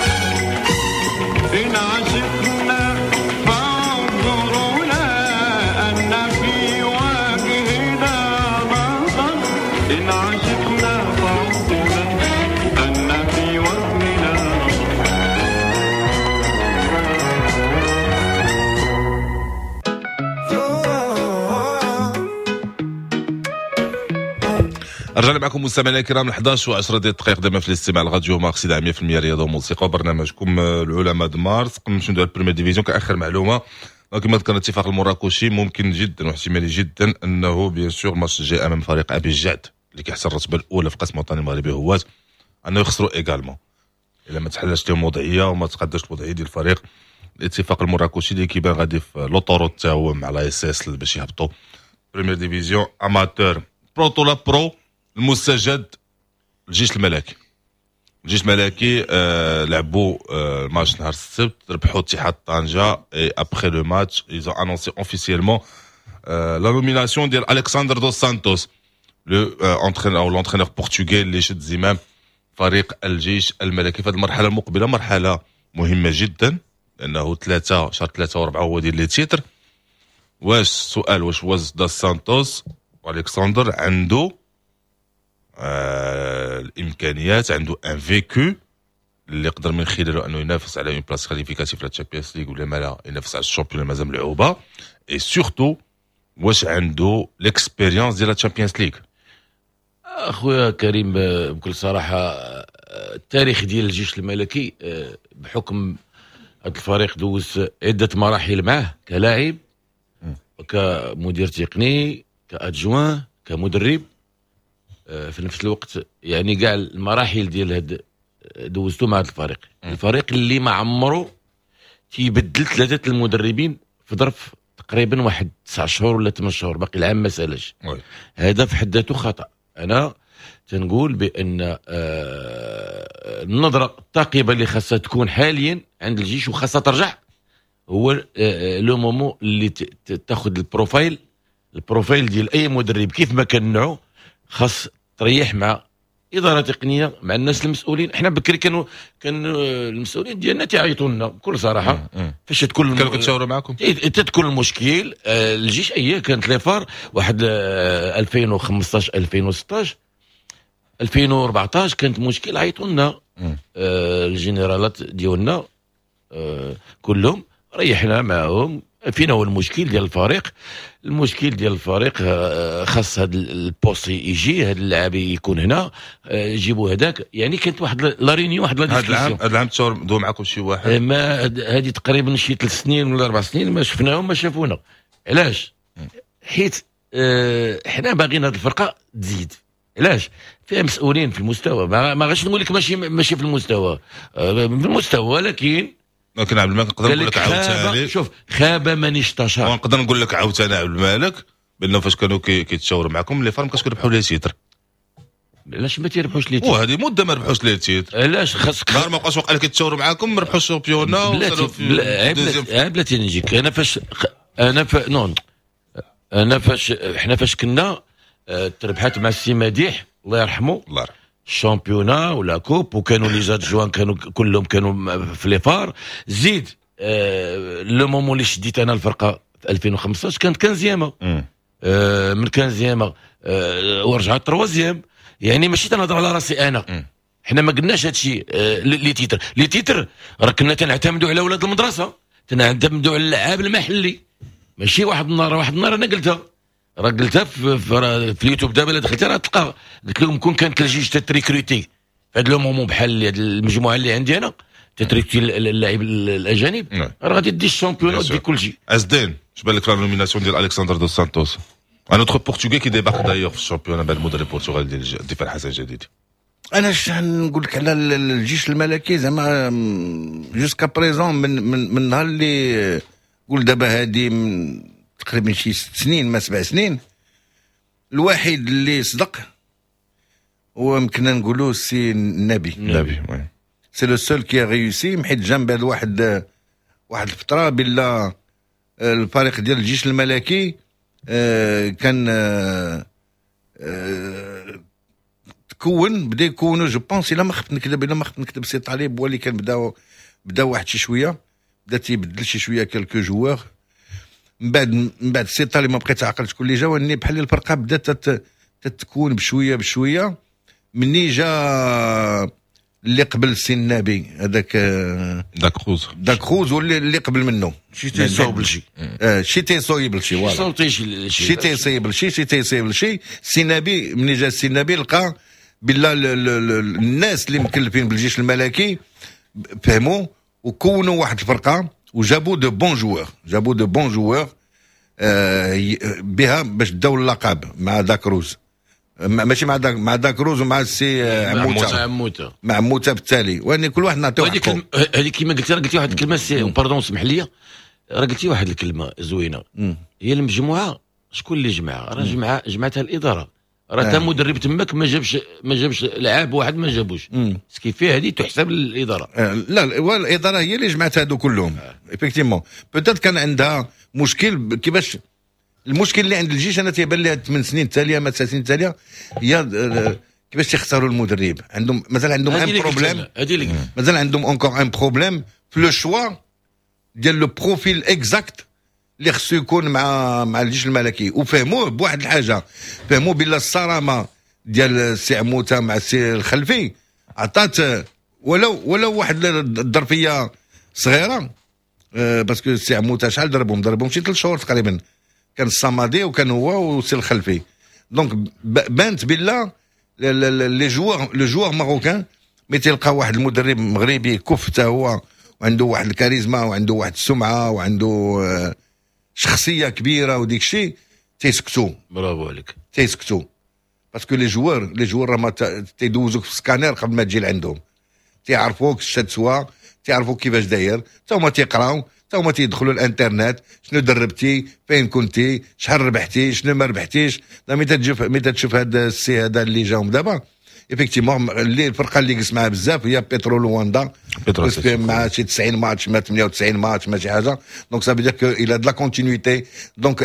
إن عشقنا فانظرونا أن في وجهنا نظر، إن عشقنا فانظرونا أن في وجهنا نظر. رجعنا معكم مستمعينا الكرام احد عشر وعشرة ديال الدقائق دائما في الاستماع لراديو مارس مية بالمية رياضة وموسيقى وبرنامجكم العلماء د مارس. قبل نمشيو نديرو ال première division كاخر معلومة، كما ذكرنا الاتفاق المراكشي ممكن جدا واحتمالي جدا انه bien sûr الماتش الجاي امام فريق ابي الجعد اللي كيحصل الرتبة الاولى في القسم الوطني المغربي هوات انه يخسروا également الا ما تحلش لهم الوضعية وما تقدرش الوضعية ديال الفريق. الاتفاق المراكشي اللي كيبان غادي في l'autoroute تا هو مع l'ASS باش يهبطوا première division amateur. بروتولا pro المستجد الجيش الملكي. الجيش الملكي آه لعبوا آه الماتش نهار السبت، ربحوا اتحاد طنجة et après le match ils ont annoncé officiellement la nomination ديال الكسندر دوس سانتوس le entraîneur او l'entraîneur portugais اللي شد زمام فريق الجيش الملكي في هذه المرحلة المقبلة، مرحلة مهمة جدا لانه ثلاثة شهر ثلاثة واربعة هو ديال les titres. واش السؤال واش واش داس سانتوس والكسندر عنده آه الامكانيات، عنده un vécu اللي يقدر من خلاله انه ينافس على une place qualificative في Champions League ولا ما لا ينافس على ال championnat مازال ملعوبه، et surtout واش عنده l'expérience ديال Champions League. اخويا كريم بكل صراحة التاريخ ديال الجيش الملكي بحكم هذا الفريق دوز عده مراحل معه كلاعب كمدير تقني ك adjoint كمدرب في نفس الوقت، يعني كاع المراحل ديال هاد دوزتو مع هذا الفريق. الفريق اللي ما عمرو تيبدل ثلاثة المدربين في ظرف تقريبا واحد تسع شهور ولا ثمان شهور، باقي العام ما سالش. هذا في حد ذاته خطا. انا تنقول بان آه النظرة الثاقبه اللي خاصها تكون حاليا عند الجيش وخاصها ترجع هو آه le moment اللي تاخذ ال profil ال profil ديال اي مدرب كيف ما كان نوعه، خاص تريح مع ادارة تقنية مع الناس المسؤولين. احنا بكري كانوا كان المسؤولين ديالنا تيعيطوا لنا بكل صراحة فاش تكون كانوا كيتشاوروا معكم تتكون المشكل. الجيش ايه كانت les FAR واحد ألفين وخمسطاش ألفين وستطاش ألفين وأربعطاش كانت مشكل، عيطوا لنا الجنرالات ديالنا كلهم، ريحنا معاهم فينا هو المشكل ديال الفريق. المشكل ديال الفريق خاص هذا ال poste يجي، هذا اللاعب يكون هنا، جيبوا هذاك. يعني كانت واحد la réunion واحد la discussion. هذا العام هذا العام تصور دو معكم شي واحد؟ ما هذه تقريبا شي ثلاث سنين ولا اربع سنين ما شفناهم ما شافونا. علاش؟ حيت اه حنا باغيين هذه الفرقة تزيد. علاش؟ فيها مسؤولين في المستوى، ما, ما غاديش نقول لك ماشي ماشي في المستوى، في المستوى، ولكن لكن عبد الملك نقدر نقول لك عاوتاني شوف خاب من استشار. ونقدر نقول لك عاوتاني عبد الملك بانه فاش كانوا كيتشاوروا معكم les FAR ما كانش كيربحوا les titres. علاش ما تيربحوش les titres؟ وهذه مده ما ربحوش les titres. علاش خاصك نهار ما بقاش وقع كيتشاوروا معاكم ما ربحوش ال championnat. بلاتي بلاتي نجيك انا فاش انا ف... non انا فاش حنا فاش كنا تربحات مع السي مديح الله يرحمه الله يرحمه ال championnat ولا coupe، وكانوا les adjoints كانوا كلهم كانوا في les FAR. زيد آه le moment اللي شديت انا الفرقة في ألفين وخمسطاش كانت quinzième آه من quinzième آه ورجعت troisième. يعني ماشي تنهضر على راسي انا، حنا ما قلناش هادشي آه les titres les titres راه كنا تنعتمدوا على ولاد المدرسة، تنعتمدوا على اللعاب المحلي. ماشي واحد النهار واحد النهار انا قلتها راه قلتها في, في, في اليوتيوب دابا الا دخلتي راه تلقى، قلت لهم كون كانت الجيش تت recruter في هذا le moment بحال المجموعة اللي عندي انا تت recruter اللاعب الاجانب راه غادي دي ال championnat ودي كل شيء. ازدين اش بان لك la nomination ديال الكسندر دو سانتوس، un autre Portugais qui débarque d'ailleurs في ال championnat بعد المدرب البرتغالي ديال الدفاع الحسن الجديد؟ انا اش نقول لك على الجيش الملكي؟ زعما jusqu'à présent، من من من النهار اللي قول دابا هادي تقريبا شي ست سنين ما سبع سنين، الوحيد اللي صدق هو يمكن نقولوا سي النبي. النبي، oui. c'est le seul qui a réussi، حيت جا من بعد واحد واحد الفترة بلا الفريق ديال الجيش الملكي آه، كان آه، آه، تكون بدا يكونوا، je pense، الا ما خفت نكذب الا ما خفت نكذب سي طالب هو اللي كان بدا بدا واحد شي شويه، بدا تيبدل شي شوية quelques joueurs. من بعد من بعد سي طالب ما بقيت عقلت شكون اللي جا، وني بحال الفرقة بدات تتكون بشوية بشويه. مني جا اللي قبل سي النبي هذاك داكروز. داكروز، واللي اللي قبل منه شي تيصوب لشي. آه، شي تيصوب لشي، voilà. شي تيصيب لشي، شي تيصيب لشي. سي نبي، ملي جا سي النبي لقى بلا الناس اللي مكلفين بالجيش الملكي فهموا وكونوا واحد الفرقة وجابوا de bons joueurs، جابوا de bons joueurs آه بها باش داو اللقب مع داكروز، ماشي مع داك مع داكروز ومع السي عموتة. عموته. مع عموتة بالتالي، وان كل واحد نعطيو حقه. هذه كما قلت، راه قلتي واحد الكلمه، c'est pardon، اسمح لي، راه قلتي واحد الكلمة زوينه، هي المجموعه. شكون اللي جمعها؟ راه جمعها جمعتها الاداره. راه تا مدرب تماك ما جابش ما جابش لعاب واحد ما جابوش، ce qui fait هذه تحسب للاداره. آه، لا، الادارة هي اللي جمعت هادو كلهم effectivement. peut-être كان عندها مشكل كيفاش. المشكل اللي عند الجيش انا تيبان لي ثمان سنين التالية ما تسع سنين التالية هي آه، كيفاش تختاروا المدرب. عندهم مازال عندهم un problème، مازال عندهم encore un problème في le choix ديال le profil exact اللي خصو يكون مع مع الجيش الملكي. وفهموه بواحد الحاجه، فهموه بلا الصرامه ديال السي عموتة مع السي الخلفي عطات ولو ولو واحد الظرفية صغيره، آه، parce que السي عموتة شحال ضربهم؟ ضربهم شي ثلاث شهور تقريبا، كان الصمادي وكان هو والسي الخلفي. donc بانت بلا les joueurs، le joueur marocain mais تلقى واحد المدرب مغربي كف حتى هو وعنده واحد الكاريزما وعنده واحد السمعة وعنده آه، شخصية كبيرة وديك الشيء، تيسكتوا. برافو عليك. تيسكتوا parce que les joueurs les joueurs راه ما تيدوزوك في سكانير قبل ما تجي لعندهم، تيعرفوك اش تسوى، تيعرفوك كيفاش داير. حتى هما تيقراو، حتى هما تيدخلوا الانترنت، شنو دربتي، فين كنتي، شحال ربحتي، شنو ما ربحتيش. ملي تشوف ملي تشوف هذا السي هذا اللي جاهم دابا، effectivement اللي الفرقة اللي جلس معاه بزاف هي بيترو لواندا، مع شي تسعين ماتش ما ثمانية وتسعين ماتش ما شي حاجه. donc ça veut dire qu'il a de la continuité، donc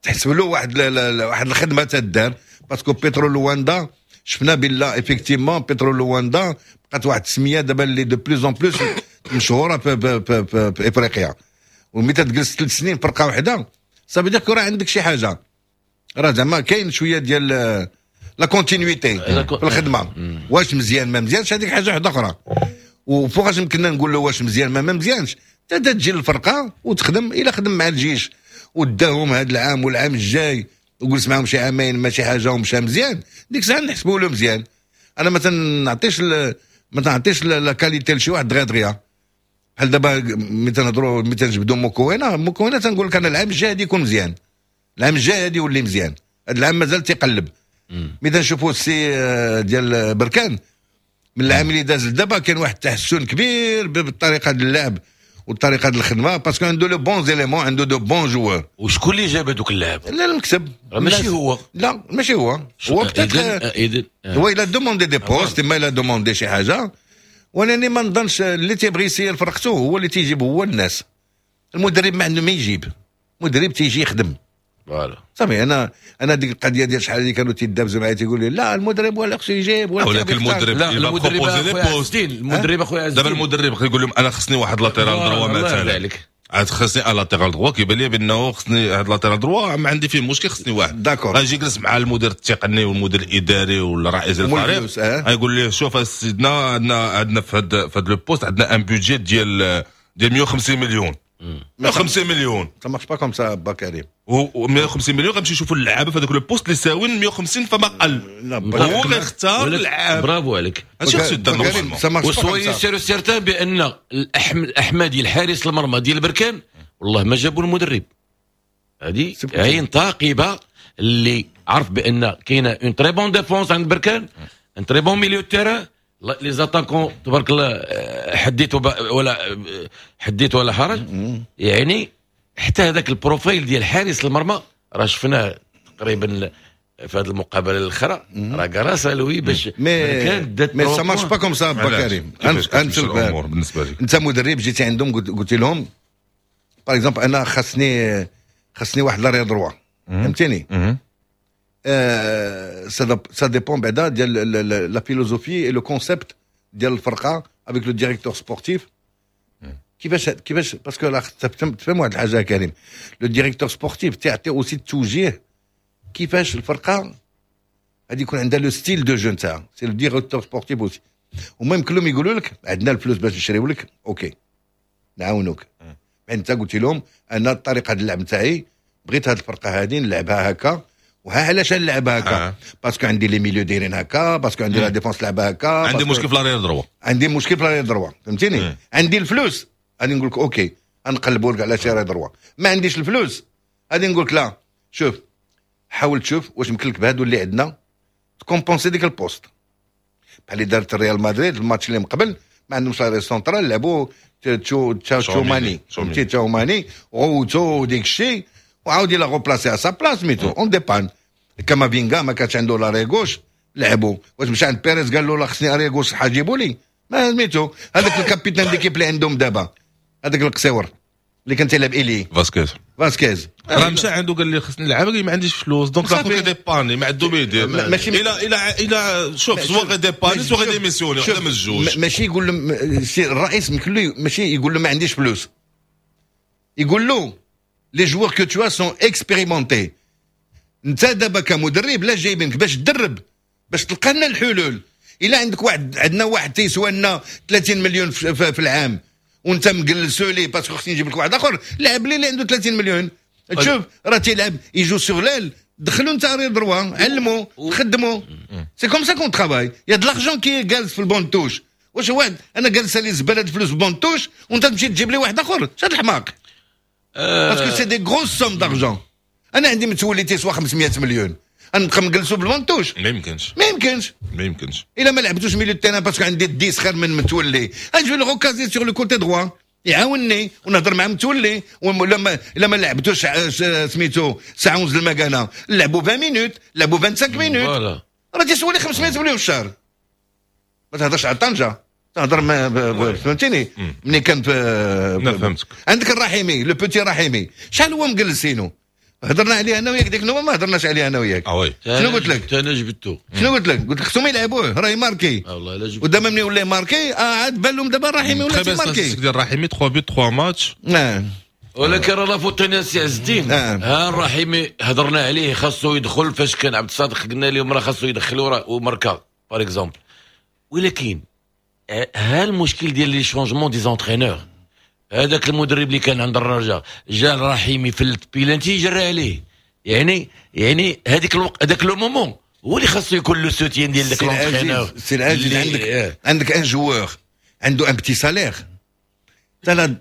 تحسب له واحد واحد الخدمة تدار، parce que بيترو لواندا شفنا بلا effectivement بيترو لواندا بقات واحد السمية دابا اللي de plus en plus مشهورة في, في, في, في, في افريقيا. وملي تجلس ثلاث سنين فرقه واحده، ça veut dire راه عندك شي حاجه، راه زعما كاين شوية ديال la continuité في الخدمه. واش مزيان ما مزيانش، هذيك حاجة واحدة اخرى. وفوقاش يمكننا نقول له واش مزيان ما ما مزيانش؟ تجي للفرقة وتخدم. الا خدم مع الجيش وداهم هذا العام والعام الجاي وجلس معاهم شي عامين ما شي حاجة ومشى مزيان، ديك الساعة نحسبوا له مزيان. انا ما تنعطيش ما تنعطيش la qualité لشي واحد دغيا دغيا. بحال دابا ملي تنهضروا، ملي تنجبدوا موكوينا، موكوينا تنقول لك انا العام الجاي غادي يكون مزيان، العام الجاي غادي يولي مزيان. هذا العام مازال تيقلب. ملي تنشوفوا السي آه، ديال بركان، من العام اللي داز لدابا كاين واحد التحسن كبير بالطريقة ديال اللعب والطريقة ديال الخدمه، parce que عنده les bons éléments، عنده de bons joueurs. وشكون اللي جاب هذوك اللاعب؟ لا، المكتب. ماشي هو. لا، ماشي هو. هو peut-être هو il a demandé des postes، ما il a demandé شي حاجه. وانا ما نظنش اللي تيبغي يسير فرقته هو اللي تيجيب هو الناس. المدرب ما عنده ما يجيب، المدرب تيجي يخدم. voilà. صافي. انا انا ديك القضية ديال شحال اللي كانوا تيدابزوا معايا، تيقول لي لا، المدرب هو اللي خصو يجيب. ولكن المدرب لا، المدرب اخويا المدرب اخويا دابا المدرب يقول لهم انا خصني واحد latéral droit مثلا، عاد خصني un latéral droit، كيبان لي بانه خصني هاد latéral droit، ما عندي فيه مشكل، خصني واحد. d'accord. غيجي يجلس مع المدير التقني والمدير الاداري ولا رئيس الفريق، غيقول ليه شوف سيدنا، عندنا عندنا في هاد في هاد le poste عندنا un budget ديال ديال مية وخمسين مليون، مية وخمسين مليون. ça marche pas comme ça با كريم. و مية وخمسين مليون غنمشي نشوفوا اللعابه في هذاك le poste اللي ساوين مية وخمسين فما قل. هو غيختار اللعاب. برافو عليك. هادشي خصو يدار normalement. و soyez sûr certain بان الأحم الاحمدي الحارس المرمى ديال بركان والله ما جابوا المدرب. هذه عين ثاقبة اللي عرف بان كاينه une très bonne défense عند بركان، un très bon milieu terrain، les attaquants تبارك الله، آه، حديت ولا حديت ولا حرج. يعني حتى هذاك ال profil ديال حارس المرمى راه شفناه تقريبا في هذه المقابلة الاخرى، راه grâce à lui باش mais mais ça marche pas comme ça كريم. انت الامور بالنسبة لك انت مدرب، جيتي عندهم قلت لهم par exemple انا خاصني خاصني واحد l'arrière droit، فهمتيني؟ ça dépend بعدا ديال la philosophie et le concept ديال الفرقة avec le directeur sportif. كيفاش كيفاش parce que تفهم واحد الحاجة كريم، le directeur sportif تيعطي aussi التوجيه كيفاش الفرقة غادي يكون عندها le style de jeu نتاعها. c'est le directeur sportif aussi. وما يمكن لهم يقولوا لك عندنا الفلوس باش نشريو لك، OK نعاونوك. انت قلت لهم انا الطريقة ديال اللعب نتاعي بغيت هذه الفرقة هذه نلعبها هكا، وها علاش نلعبها هكا؟ آه. parce que عندي les milieux دايرين هكا، parce que عندي la défense لعبها هكا. عندي مشكل في l'arrière droit. عندي مشكل في l'arrière droit، فهمتيني؟ عندي الفلوس غادي نقول لك OK نقلبوا لك على شي arrière droit. ما عنديش الفلوس غادي نقول لك لا، شوف حاول تشوف واش يمكن لك بهادو اللي عندنا ت compenser ديك ال poste، بحال اللي دارت الريال مدريد الماتش اللي من قبل، ما عندهمش l'arrière central، لعبوا تشوماني، فهمتي؟ تشوماني غوتو ديك الشيء وعاود l'a replacé à sa place ميتو en dépanne. كامافينغا ما كانش عنده l'arrière gauche، لعبوا. واش مشى عند بيريز قال له لا خصني arrière gauche جيبوا لي؟ ما سميتو هذاك ال capitaine d'équipe اللي عندهم دابا، هذاك القصيور اللي كان تيلعب ailier. فاسكيز. فاسكيز. راه مشى عنده قال لي خصني نلعب، قال لي ما عنديش فلوس، donc لا faut dépanner، ما عنده ما يدير. ماشي الى الى الى شوف soit غي dépanner soit غي démissionner، وحده من الجوج. ماشي يقول له الرئيس، ماشي يقول له ما عنديش فلوس، يقول له les joueurs que tu as sont expérimentés. انت دابا كمدرب لا جايبينك باش تدرب، باش تلقى لنا الحلول. الا عندك واحد، عندنا واحد تيسوى لنا ثلاثين مليون في, في, في العام وانت مجلسو لي parce que خصني نجيب لك واحد اخر، لعب لي اللي عنده ثلاثين مليون. تشوف راه تيلعب، il joue sur l'aile، دخلوا انت arrière droit، علموا خدموا. c'est comme ça qu'on travaille. y a de l'argent qui جالس في ال banc de touche. واش واحد انا جالس لي زبالة فلوس في ال banc de touche وانت تمشي تجيب لي واحد اخر؟ شاد الحماق، parce que c'est des grosses sommes d'argent. انا عندي متولي تيسوى خمسمية مليون، نبقى نجلسوا بال banc de touche؟ ما يمكنش. ما يمكنش. ما يمكنش. الا ما لعبتوش milieu terrain parce que عندي dix خير من متولي، نجي le recaser sur le côté droit يعاونني ونهضر مع متولي. ولا الا ما لعبتوش سميتو ساعة ونص المكانه، لعبوا عشرين minutes، لعبوا خمسة وعشرين minutes. راه تيسوى لي خمسمية مليون في الشهر. ما تهضرش على طنجه، تهضر ما فهمتيني ملي كان في فهمتك. عندك الرحيمي، le petit رحيمي، شحال هو مجلسينو؟ هضرنا عليه انا وياك ديك النوبه، ما هضرناش عليه انا وياك؟ اه oui. شنو قلت لك؟ انا جبتو. شنو قلت لك؟ قلت لك خصهم يلعبوه راه يماركي. والله لا جبتو. ودابا ملي ولا يماركي، آه عاد بان لهم دابا الرحيمي ولا تيماركي. ديال الرحيمي ثلاثة buts ثلاثة ماتش. نعم. ولكن راه la faute سي عز الدين. آه. ها الرحيمي هضرنا عليه خاصو يدخل، فاش كان عبد الصادق قلنا لهم راه خاصو يدخل وماركا par exemple. ولكن ها المشكل ديال les changements des entraîneurs. هذاك المدرب اللي كان عند الرجاء جا الرحيمي في البيلانتي جرى عليه، يعني يعني هذيك الوقت، هذاك le moment هو اللي خاصو يكون le soutien ديال ذاك l'entraîneur. سي العزيز، عندك عندك un joueur عنده un petit salaire، ترى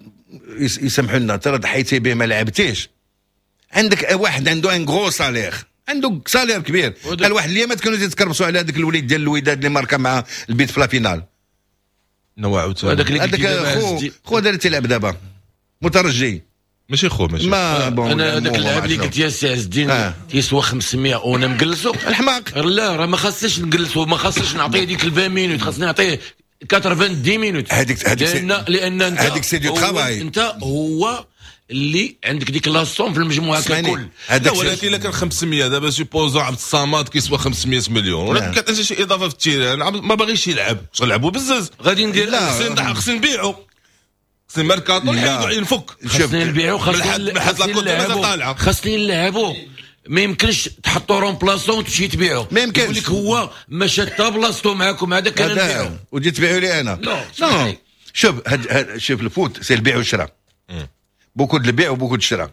يسمحوا لنا ترى ضحيتي به ما لعبتيش. عندك واحد عنده un gros salaire، عنده salaire كبير. قال واحد اليامات كانوا يتكربسوا على هذاك الوليد ديال الوداد اللي ماركا مع البيت في la finale. نوع عاوتاني. هذاك اللي هذاك خو خو هذا اللي تيلعب دابا مترجي. ماشي خو، ماشي. ما bon. انا هذاك اللاعب اللي قلت يا سي عز الدين آه. تيسوى خمسمية وانا مجلسو. الحماق. لا راه ما خاصنيش نجلسو، ما خاصنيش نعطيه ديك عشرين minutes، خاصني نعطيه تسعين minutes. هذيك هذيك لان لان انت هذيك c'est du travail. انت هو اللي عندك ديك la somme في المجموعة ككل. هذاك ولكن الا كان خمسمية دابا supposons عبد الصمد كيسوى خمسمية مليون ولكن كتعطي شي اضافه في ال terrain، ما باغيش يلعب، نلعبوا بزز. غادي ندير لا، خصني نبيعو، خصني ميركاتو نحيدو نفك. خصني نبيعو، خصني نلعبو، خصني نلعبو. ما يمكنش تحطو remplaçant وتمشي تبيعو. ما يمكنش. يقول لك هو ما شاد بلاصتو معاكم، هذا كان نبيعو. وتجي تبيعو لي انا؟ non. non، شوف هاد هاد شوف ال foot c'est البيع والشراء، beaucoup د البيع و beaucoup د الشراء.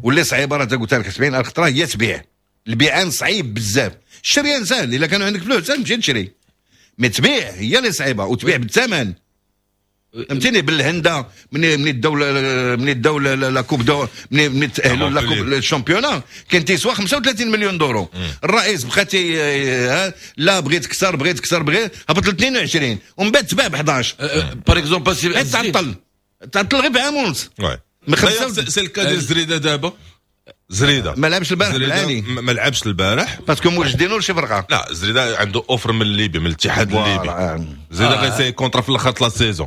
واللي صعيبة راه قلت لك سبعين الف خطره هي تبيع. البيعان صعيب بزاف، الشريان سهل، الا كانوا عندك فلوس تمشي تشري، mais تبيع هي اللي صعيبة وتبيع بالثمن. فهمتيني؟ بالهنده من من الدولة من الدولة la coupe de من من تاهلوا la coupe ال championnat كان تيسوا خمسة وثلاثين مليون دورو. الرئيس بقى تي لا بغيت كثر بغيت كثر بغيت، هبط ل اثنين وعشرين ومن بعد تباع ب احداش. par exemple تعطل تعطل غير بعام ونص. c'est le cas ديال زريده دابا. زريده ما لعبش البارح بالعاني، ما لعبش البارح parce que موجدينو لشي فرقه. لا زريده عنده offre من الليبي، من الاتحاد الليبي. زريده غيسي contrat في الاخر la saison.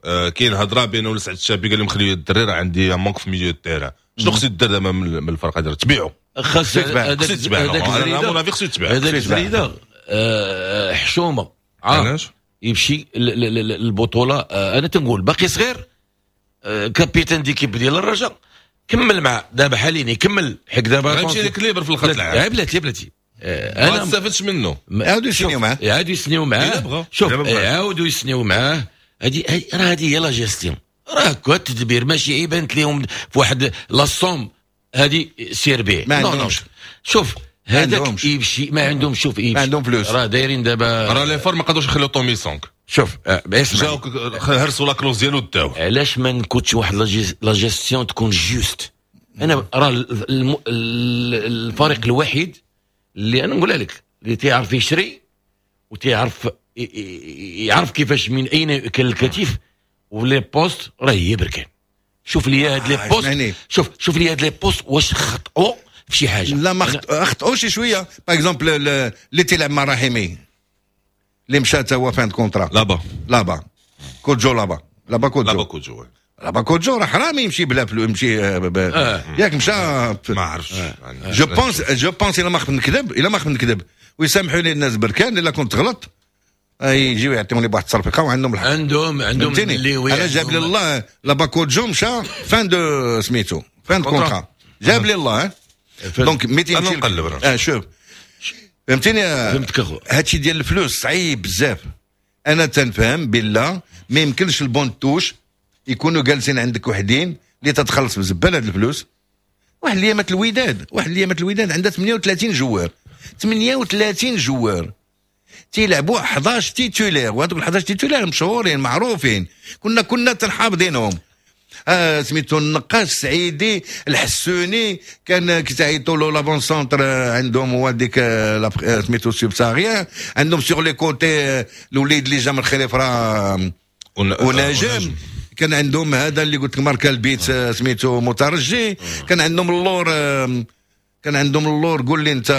آه كاين هضره بينه وسعد الشابي، قال لهم خليو الدري راه عندي manque في milieu terrain. شنو خصو يدير دابا من الفرقة ديالو؟ تبيعو، خاص هذاك يتباع. انا avis خصو يتباع هذاك زريده. حشومه علاش يمشي البطولة؟ انا تنقول باقي صغير، capitaine d'équipe ديال الرجاء، كمل مع دابا حاليا يكمل حيت دابا غيمشي لك libre في الخط العام. بلاتي بلاتي انا ما استفدتش منه. عاودوا يسنيو معاه، يعاودوا يسنيو معاه. شوف يعاودوا يسنيو معاه. هذه راه هذه هي la gestion، راه هكا التدبير، ماشي بانت لهم في واحد la somme هذه سير بيه. ما عندهمش. شوف هذاك يمشي ما عندهم. شوف يمشي ما عندهم فلوس، راه دايرين دابا راه les FAR ما قدروش يخليو تومي سونك. شوف جاو هرسوا la clause ديالو داو. علاش ما نكونش واحد la gestion تكون juste؟ انا راه الفريق الوحيد اللي انا نقولها لك اللي تيعرف يشري وتيعرف يعرف كيفاش من اين ياكل الكتف و les postes راه هي بركان. شوف لي هاد les postes، شوف شوف لي هاد les postes واش خطئوا في شي حاجة؟ لا ما خطئوش شي شوية. par exemple اللي تيلعب مع رحيمي اللي مشى تا هو fin contrat، لابا لابا كوجو، لابا لابا كوجو، لابا كوجو، لابا كوجو راه حرام يمشي بلا فلوس، يمشي آه. ياك مشى ما عرفتش. je pense je pense الا ما خفت نكذب، الا ما خفت نكذب ويسامحوا لي الناس بركان الا كنت غلط، يجيو يعطيوني بواحد التصرفيقه وعندهم الحق. عندهم عندهم اللي انا جاب لي الله لابا كوجو مشى fin de سميتو fin de contrat، جاب لي الله. donc ميتين نقلب. اه شوف فهمتيني؟ فهمتك اخو. هادشي ديال الفلوس صعيب بزاف. انا تنفهم بالله ما يمكنش ال banc de touche يكونوا جالسين عندك وحدين اللي تتخلص بزبال هاد الفلوس. واحد اليامات الوداد، واحد اليامات الوداد عندها ثمانية وثلاثين joueurs، ثمانية وثلاثين joueurs تيلعبوا احداش titulaires، وهذوك احداش titulaires مشهورين معروفين، كنا كنا تنحافظينهم. آه سميتو النقاش، السعيدي، الحسوني، كان كيتعيطوا له l'avant-centre عندهم هو ديك سميتو subsaharien، عندهم sur les côtés الوليد اللي جا من خريفره ونجم، كان عندهم هذا اللي قلت لك ماركا البيت سميتو مترجي، كان عندهم اللور، كان عندهم اللور قول لي انت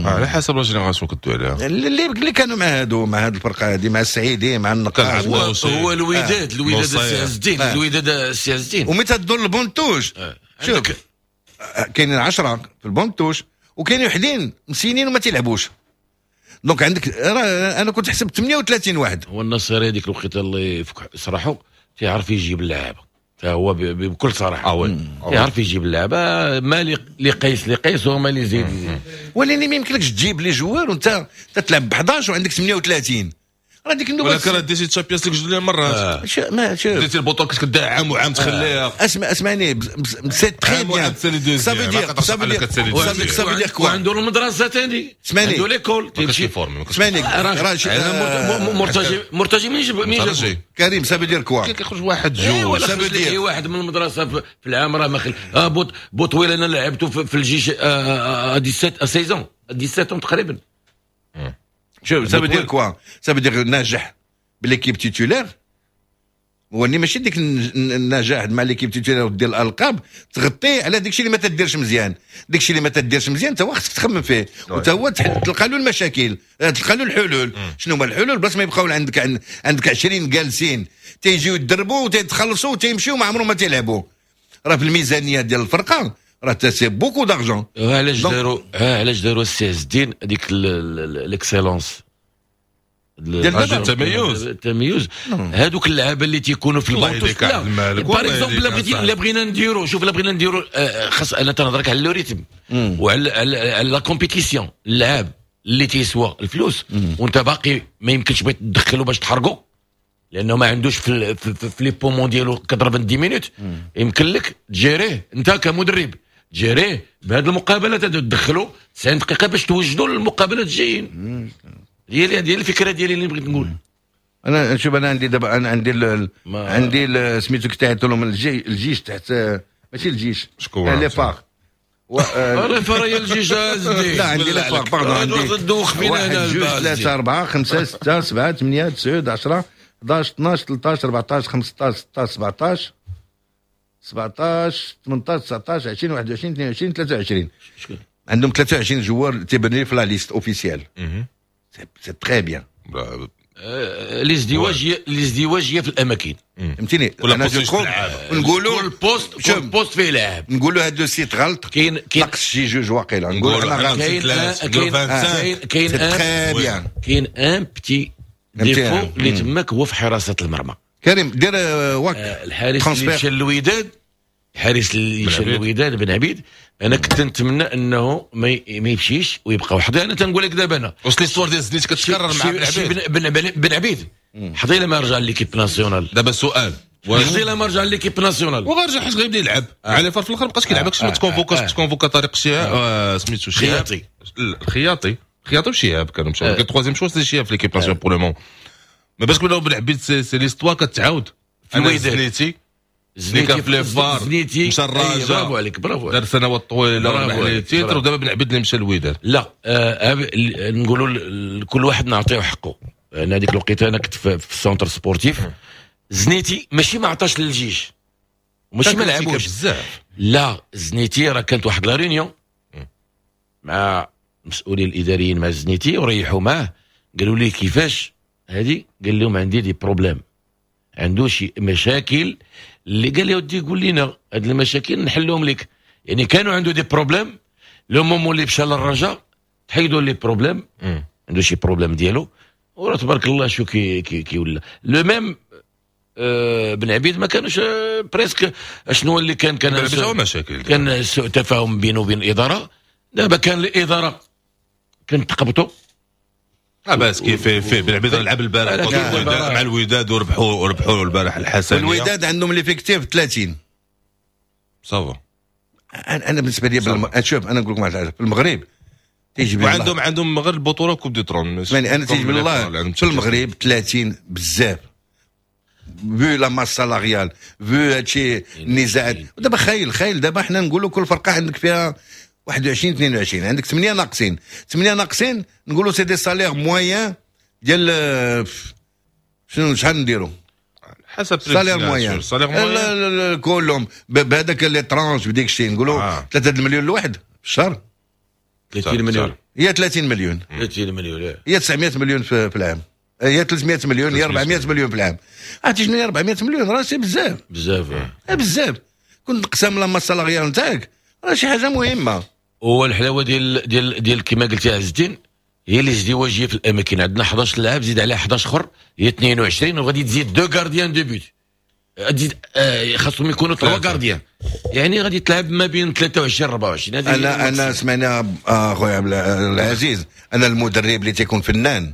على حسب la génération كنتو عليها اللي اللي كانوا مع هادو، مع هاد الفرقة هادي، مع السعيدي، مع النقاش. هو, هو الوداد، الوداد السي عز الدين، الوداد السي عز الدين. ومتى تدور ال banc de touche شوف كاينين عشرة في ال banc de touche وكاينين وحدين مسينين وما تيلعبوش. donc عندك انا كنت حسبت ثمانية وثلاثين واحد. هو النصيري هذيك الوقيته اللي يفك صراحة تيعرف يجيب اللعابه، هو بكل صراحة اه oui يعرف يجيب اللعبة، ما لي قيس لي قيس وما لي زيد. ولكن ما يمكنلكش تجيب les joueurs وانت تتلعب ب احداش وعندك ثمانية وثلاثين. راه ديك النوبة ولكن راه ديتي Champions League جوج مرات. آه. ما شوف ديتي البطولة كنت كدير عام وعام تخليها. اسمع اسمعني c'est très bien، ça veut dire ça veut dire ça veut dire quoi. وعنده المدرسة ثاني، اسمعني عنده l'école تيمشي formé. اسمعني راه مرتجي مرتجي منين جاب منين جاب كريم؟ ça veut dire quoi كيخرج واحد جوج ça veut dire واحد من المدرسة في العام راه ما خل بوط بوطويل انا لعبته في الجيش سبعطاش saison سبعطاش تقريبا. شوف ça veut dire quoi، ça veut dire ناجح ب l'équipe titulaire، وني ماشي ديك النجاح مع l'équipe titulaire ودير الالقاب تغطي على داك الشيء اللي ما تديرش مزيان. داك الشيء اللي ما تديرش مزيان انت هو خصك تخمم فيه، وانت هو تلقى له المشاكل، تلقى له الحلول. شنو هما الحلول؟ بلاص ما يبقاو عندك عندك عشرين جالسين تيجيو يدربوا وتيتخلصوا وتيمشيو ما عمرهم ما تيلعبوا. راه في الميزانية ديال الفرقة راه c'est beaucoup d'argent. علاش داروا علاش داروا السي عز الدين هذيك l'excellence ديال التميز؟ التميز هذوك اللعابه اللي تيكونوا في ال banc de touche. لا par exemple لا بغينا نديرو، شوف لا بغينا نديرو خاص انا تنهضرك على le rythme وعلى على la compétition. اللعاب اللي تيسوى الفلوس وانت باقي ما يمكنش بغيت تدخلو باش تحرقو لانه ما عندوش في في, في les poumons ديالو quatre-vingt-dix minutes، يمكن لك تجيريه انت كمدرب، تجيريه بهذه المقابلة تدخلو تسعين دقيقة باش توجدوا للمقابلات الجايين. ديالي ديال الفكرة ديالي اللي بغيت نقول. انا شوف، انا عندي دابا، انا عندي ال... ما- عندي ال- سميتو كتعيطوا لهم الجي... الجيش تحت، ماشي الجيش. شكون؟ آه، les FAR و... آه، les FAR هي الجيش ازدي. لا، عندي les FAR، pardon، عندي دوخ فينا. واحد، هنا جوج، الباز. ثلاثة، أربعة، خمسة، ستة، سبعة، ثمانية، تسعة، عشرة، حداش، اثنا عشر، ثلاثة عشر، أربعة عشر، خمسة عشر، ستة عشر، سبعة عشر، سبعة عشر، ثمنطاش، تسعة عشر، عشرين، واحد وعشرين، اثنين وعشرين، ثلاثة وعشرين. شكون؟ عندهم ثلاثة وعشرين joueurs تيبان لي في la liste officielle، c'est très bien. آه، الازدواجيه الازدواجيه في الاماكن. فهمتيني؟ ولا انا poste je crois لعابة. نقولوا كل poste شوف. كل poste فيه لاعب. نقولوا هذا le site غلط. كاين كاين نقص شي جوج واقيلا، نقولوا نقولوا حنا غلط. كاين ثلاثة، كاين خمسة وعشرين. كاين كاين c'est très bien. كاين un petit défaut اللي تماك هو في حراسة المرمى. كريم، دير آه، واك آه، الحارس اللي transfert. مشى للوداد، الحارس اللي مشى عبيد. للوداد بن عبيد، انا كنت نتمنى انه ما ي- ما يمشيش ويبقى وحده. انا تنقول لك دابا انا واش l'histoire ديال زنيت كتكرر مع بن شي عبيد؟ بن, بن, بن عبيد حضي لما رجع l'équipe nationale. دابا السؤال واش حضي لما رجع l'équipe nationale. وغيرجع حيت غيبدا يلعب على FAR، في الاخر مابقاش كيلعب، ما تكونفوكاش، تكونفوكا طارق الشهاب، آه، سميتو شهاب. خياطي. الخياطي، خياطي وشهاب كانوا مشاو. آه. troisième choix c'est شهاب في l'équipe nationale pour le moment. ما باش نقولوا بن عبيد، c'est c'est l'histoire كتعاود في الوداد. زنيتي اللي كان في les FAR زنيتي مشى أي، الرجاء. برافو عليك، برافو عليك. دار سنوات طويلة برافو وربح les عليك، titres. برافو. ودابا بن عبيد اللي مشى الوداد. لا، آه آه، نقولوا ل- كل واحد نعطيه حقه. انا هذيك الوقيته انا كنت في, في ال centre sportif. زنيتي ماشي ما عطاش للجيش وماشي ما لعبوش. بزاف. لا، زنيتي راه كانت واحد la réunion مع المسؤولين الاداريين مع زنيتي وريحوا معاه، قالوا لي كيفاش هذه؟ قال لهم عندي des problèmes، عنده شي مشاكل اللي قال لي ودي قول لنا هاد المشاكل نحلهم لك. يعني كانوا عنده des problèmes، le moment اللي مشى للرجاء تحيدوا les problèmes. عنده شي problème ديالو، وراه تبارك الله شو كي كي, كي ولا le même. آه بن عبيد ما كانوش آه presque شنو اللي كان كان بن عبيد هو مشاكل. كان سوء تفاهم بينه وبين الاداره. دابا كان الادارة كانت تقبطوا. لا باس، كيف في بن عبيد لعب البارح لكن contre الوداد، مع الوداد، وربحوا وربحوا البارح الحسنيه. الوداد عندهم l'effectif ثلاثين. ça va. انا أنا بالنسبة لي بالم... شوف، انا نقول لكم واحد الحاجه، في المغرب تيجي بالله وعندهم عندهم غير البطولة coupe du trône. يعني انا تيجي بالله في المغرب ثلاثين بزاف vu la masse salariale، vu هادشي النزاعات. ودابا خايل خايل دابا حنا نقولوا كل فرقه عندك فيها واحد وعشرين، اثنين وعشرين، عندك ثمانية ناقصين، ثمانية ناقصين، نقولوا c'est des salaires moyens ديال آه، شنو، شحال نديروا؟ حسب salaire moyen salaire moyen. كلهم بهذاك les tranches بديك الشيء نقولوا آه. ثلاثة المليون الواحد في الشهر. ثلاثين مليون. هي ثلاثين مليون. ثلاثين مليون إيه. هي تسعمية مليون في, في العام، هي ثلاثمية مليون، هي أربعمية مليون في العام. عرفتي شنو هي أربعمية مليون؟ راه c'est بزاف. بزاف. آه، بزاف. كنت تقسم la masse salariale نتاعك راه شي حاجة مهمه. هو الحلاوة ديال ديال ديال كما قلتي عز الدين هي الازدواجيه في الاماكن. عندنا حداش لاعب، زيد عليها حداش اخر هي اثنين وعشرين، وغادي تزيد deux gardiens de but، تزيد آه خاصهم يكونوا trois gardiens، يعني غادي تلعب ما بين ثلاثة وعشرين أربعة وعشرين. هذه انا انا سمعنا اخويا عبد العزيز، انا المدرب اللي تيكون فنان،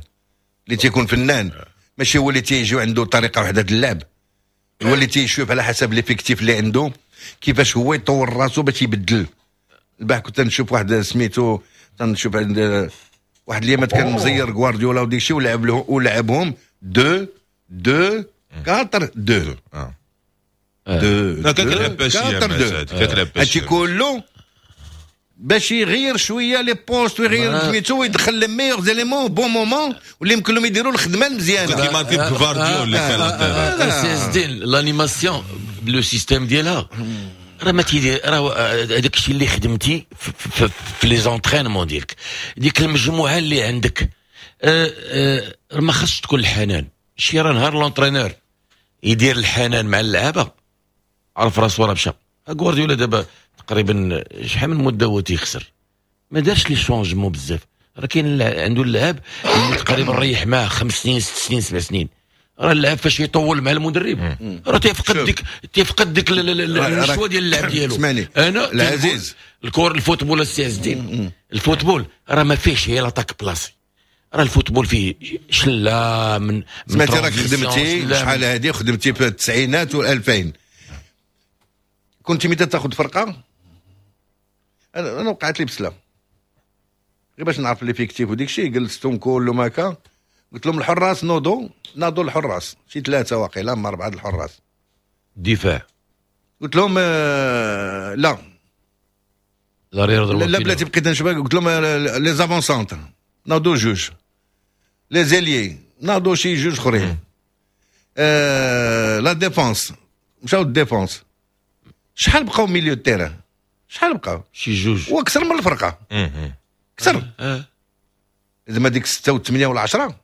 اللي تيكون فنان ماشي هو اللي تيجي عنده طريقه واحدة اللعب، هو اللي تيشوف على حسب l'effectif اللي عنده كيفاش هو يطور راسو باش يبدل. البارح كنت نشوف واحد سميتو، تنشوف عند واحد اليامات كان مزير غوارديولا وديك الشيء ولعب له ولعبهم deux deux quatre deux deux. لا، كتلعب باش كتلعب. هادشي كله باش يغير شوية les postes ويغير سميتو ويدخل les meilleurs éléments bon moment واللي يمكن لهم يديروا الخدمة المزيانه. كيما كيف غوارديولا اللي كان. سي الدين، l'animation le système ديالها راه ما تيدير، راه هذاك الشيء اللي خدمتي في, في, في les entraînements ديالك، ديك المجموعة اللي عندك، أه أه ما خاصش تكون الحنان. شي راه نهار l'entraîneur يدير الحنان مع اللعابه عرف راسو راه مشى. غوارديولا دابا تقريبا شحال من مده هو تيخسر، ما دارش les changements بزاف. راه كاين عنده اللعاب اللي تقريبا ريح معاه خمس سنين، ست سنين، سبع سنين. راه اللاعب فاش يطول مع المدرب راه تيفقد ديك تيفقد ديك النشوة ديال اللعب ديالو. اسمعني. انا العزيز. الكور ال football السي عز الدين، ال football راه ما فيهش هي l'attaque placée، راه ال football فيه شله من سمعتي، راك خدمتي شحال هذه، خدمتي في التسعينات والألفين، كنت متى تاخذ فرقه؟ انا انا وقعت لي بسلة غير باش نعرف l'effectif وديك الشيء، جلستهم كلهم هكا. قلت لهم الحراس نوضوا، ناضوا الحراس شي ثلاثة واقيلا ما اربعة الحراس. دفاع. قلت لهم آه لا لا لا, لا بلاتي بقيت نشوف. قلت لهم les avant-centres ناضوا جوج، les ailiers ناضوا شي جوج اخرين، آه la défense مشاو ال défense. شحال بقاو milieu terrain؟ شحال بقاو؟ شي جوج. واكثر من الفرقة، اكثر. زعما ديك ستة وثمانية ولا عشرة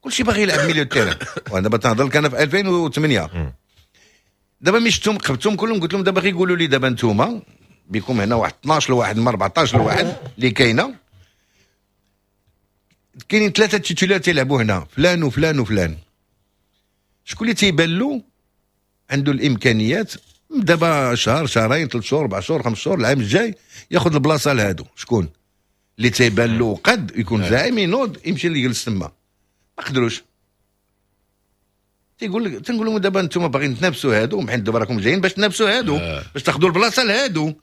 كلشي باغي يلعب milieu terrain. وانا دابا تنهضر لك انا في ألفين وثمانية. دابا ملي شفتهم قبتهم كلهم قلت لهم دابا غير قولوا لي دابا انتوما بكم هنا واحد اثناش لواحد ما أربعطاش لواحد اللي كاينه، كاينين ثلاثة titulaires تيلعبوا هنا، فلان وفلان وفلان. شكون اللي تيبان له عنده الامكانيات دابا شهر شهرين ثلاث شهور اربع شهور خمس شهور العام الجاي ياخذ البلاصة لهادو؟ شكون اللي تيبان له قد يكون زعيم ينوض يمشي اللي يجلس تما؟ ما قدروش. تيقول لك تنقول لهم دابا انتم باغيين تنافسوا هادو، حيت دابا راكم جايين باش تنافسوا هادو، آه. باش تاخذوا البلاصة لهادو،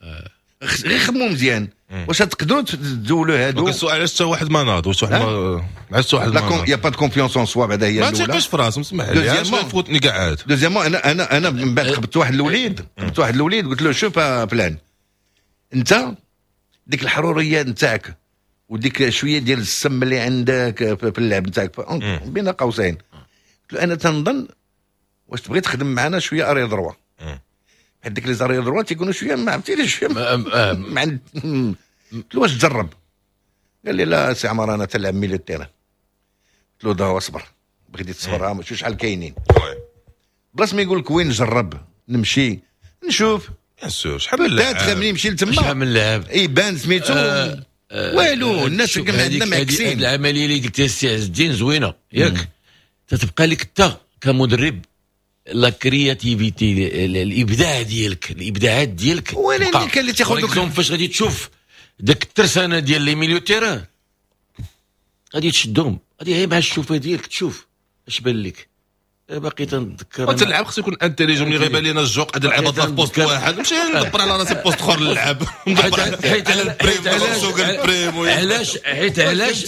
غير خدموا مزيان. واش تقدروا تزولوا هادو؟ السؤال علاش حتى واحد ما ناض؟ واش واحد ما علاش حتى واحد ما ناض؟ y a pas de confiance en soi بعدا هي الاولى. ما تيقش في راسهم، اسمح لي علاش فوتني كاع عاد. deuxièmement انا انا انا من بعد خبطت واحد الوليد، خبطت واحد الوليد قلت له شوف فلان، انت ديك الحرورية نتاعك وديك شوية ديال السم اللي عندك في اللعب نتاعك بين قوسين، قلت له انا تنظن واش تبغي تخدم معنا شوية arrière droit، حيت ديك les arrières droits تيكونوا شوية ما عرفتي شوية مع قلت له واش تجرب؟ قال لي لا سي عمر انا تلعب milieu terrain. قلت له دا اصبر، بغيتي تصبر شوف شحال كاينين. بلاص ما يقول لك وين نجرب نمشي نشوف bien sûr شحال من لاعب ملي يمشي لتما شحال من لاعب يبان سميتو والو. الناس كان عندنا معكسين. العملية اللي قلتها السي عز الدين زوينة ياك، تتبقى لك انت كمدرب la créativité، الابداع ديالك، الابداعات ديالك. ولكن كان اللي تاخذ فاش غادي تشوف داك الترسانه ديال les milieux terrain غادي تشدهم، غادي غير مع الشوفه ديالك تشوف اش بان لك. باقي تنتذكر وانت اللعب خصو يكون intelligent. ملي غيبان لينا الجوق غادي نلعب في poste واحد نمشي ندبر على راسي poste اخر نلعب. حيت على ال prime سوق ال prime. علاش؟ حيت علاش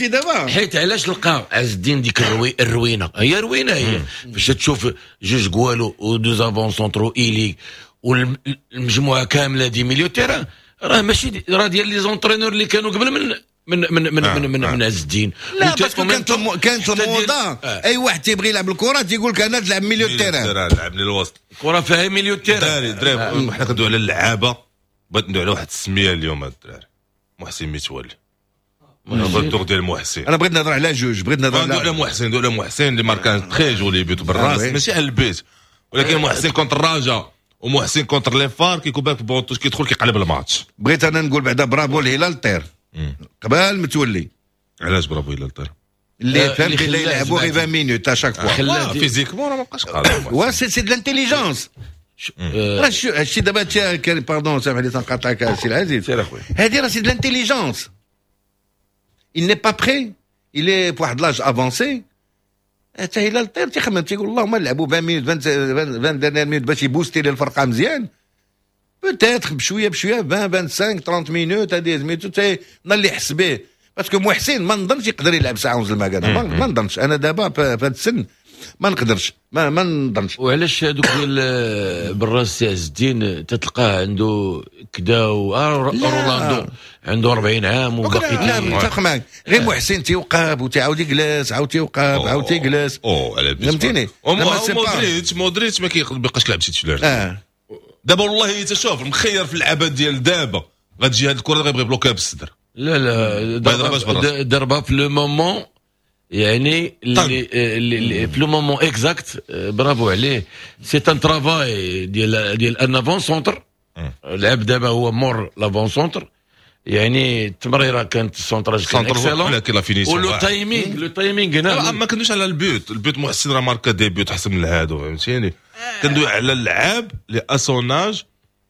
حيت علاش لقى عز الدين ديك الروي الروينه هي روينه هي فاش تشوف جوج كوالو و deux avant-centres ailiers والمجموعة كاملة des milieux terrain، راه ماشي راه ديال les entraîneurs اللي كانوا قبل من من من من آه. من, من, آه. من عز الدين. لا parce que كانت كانت الموضة آه. اي واحد تيبغي يلعب الكره تيقول لك انا تلعب milieu terrain، لعب لي الوسط الكره فيها milieu terrain. دراري دراري حنا كندويو على اللعابه، بغيت ندوي على واحد السمية اليوم هاد الدراري، محسن متولي. الدور ديال محسن انا بغيت نهضر على جوج، بغيت نهضر على على محسن، ندوي على محسن اللي ماركا très joli but بالراس ماشي على البيت، ولكن محسن contre الرجاء ومحسن contre les FAR كيكون بالك banc de touche كيدخل كيقلب الماتش. بغيت انا نقول بعدا برافو الهلال الطير قبل متولي. علاش برافو الهلال الطير؟ اللي فهم بلي يلعبوا غير عشرين minutes à chaque fois physiquement راه ما بقاش قادر. وا c'est c'est de l'intelligence. راه هادشي دابا pardon سامح لي تنقاطعك السي العزيز. سير اخويا. هادي راه c'est de l'intelligence. Il n'est pas prêt, il est في واحد l'âge avancé. حتى هلال الطير تيخمم تيقول اللهم نلعبوا عشرين minutes عشرين dernières minutes باش يبوستي لي الفرقة مزيان. peut-être بشوية بشوية عشرين خمسة وعشرين ثلاثين minutes هذه سميتو حتى اللي يحس به. parce que محسن ما نظنش يقدر يلعب ساعة ونص المكانة، ما نظنش انا دابا في هذا السن ما نقدرش، ما ما نظنش. وعلاش هذوك ديال بالراس عز الدين تتلقاه عنده كدا رولاندو عنده أربعين عام وباقي لا متفق معاك. غير محسن تيوقف وتيعاود يجلس، عاود تيوقف عاود تيجلس. اوه فهمتيني. مودريتش مودريتش ما كيبقاش يلعب titulaire. اه دابا والله تشوف المخير في اللعبة ديال دابا غتجي هاد الكره غيبغي بلوكيها بالصدر. لا لا ضربها في le moment، يعني اللي اللي في le moment exact. bravo عليه. c'est un travail ديال ديال un avant-centre. لعب دابا هو مور l'avant-centre، يعني التمريره كانت ال centrage كان excellent، ولكن la finition و le timing le timing هنا ما كندويش على ال but. ال but محسن راه ماركا des buts احسن من هادو فهمتيني. كندوي على اللعاب لي à son âge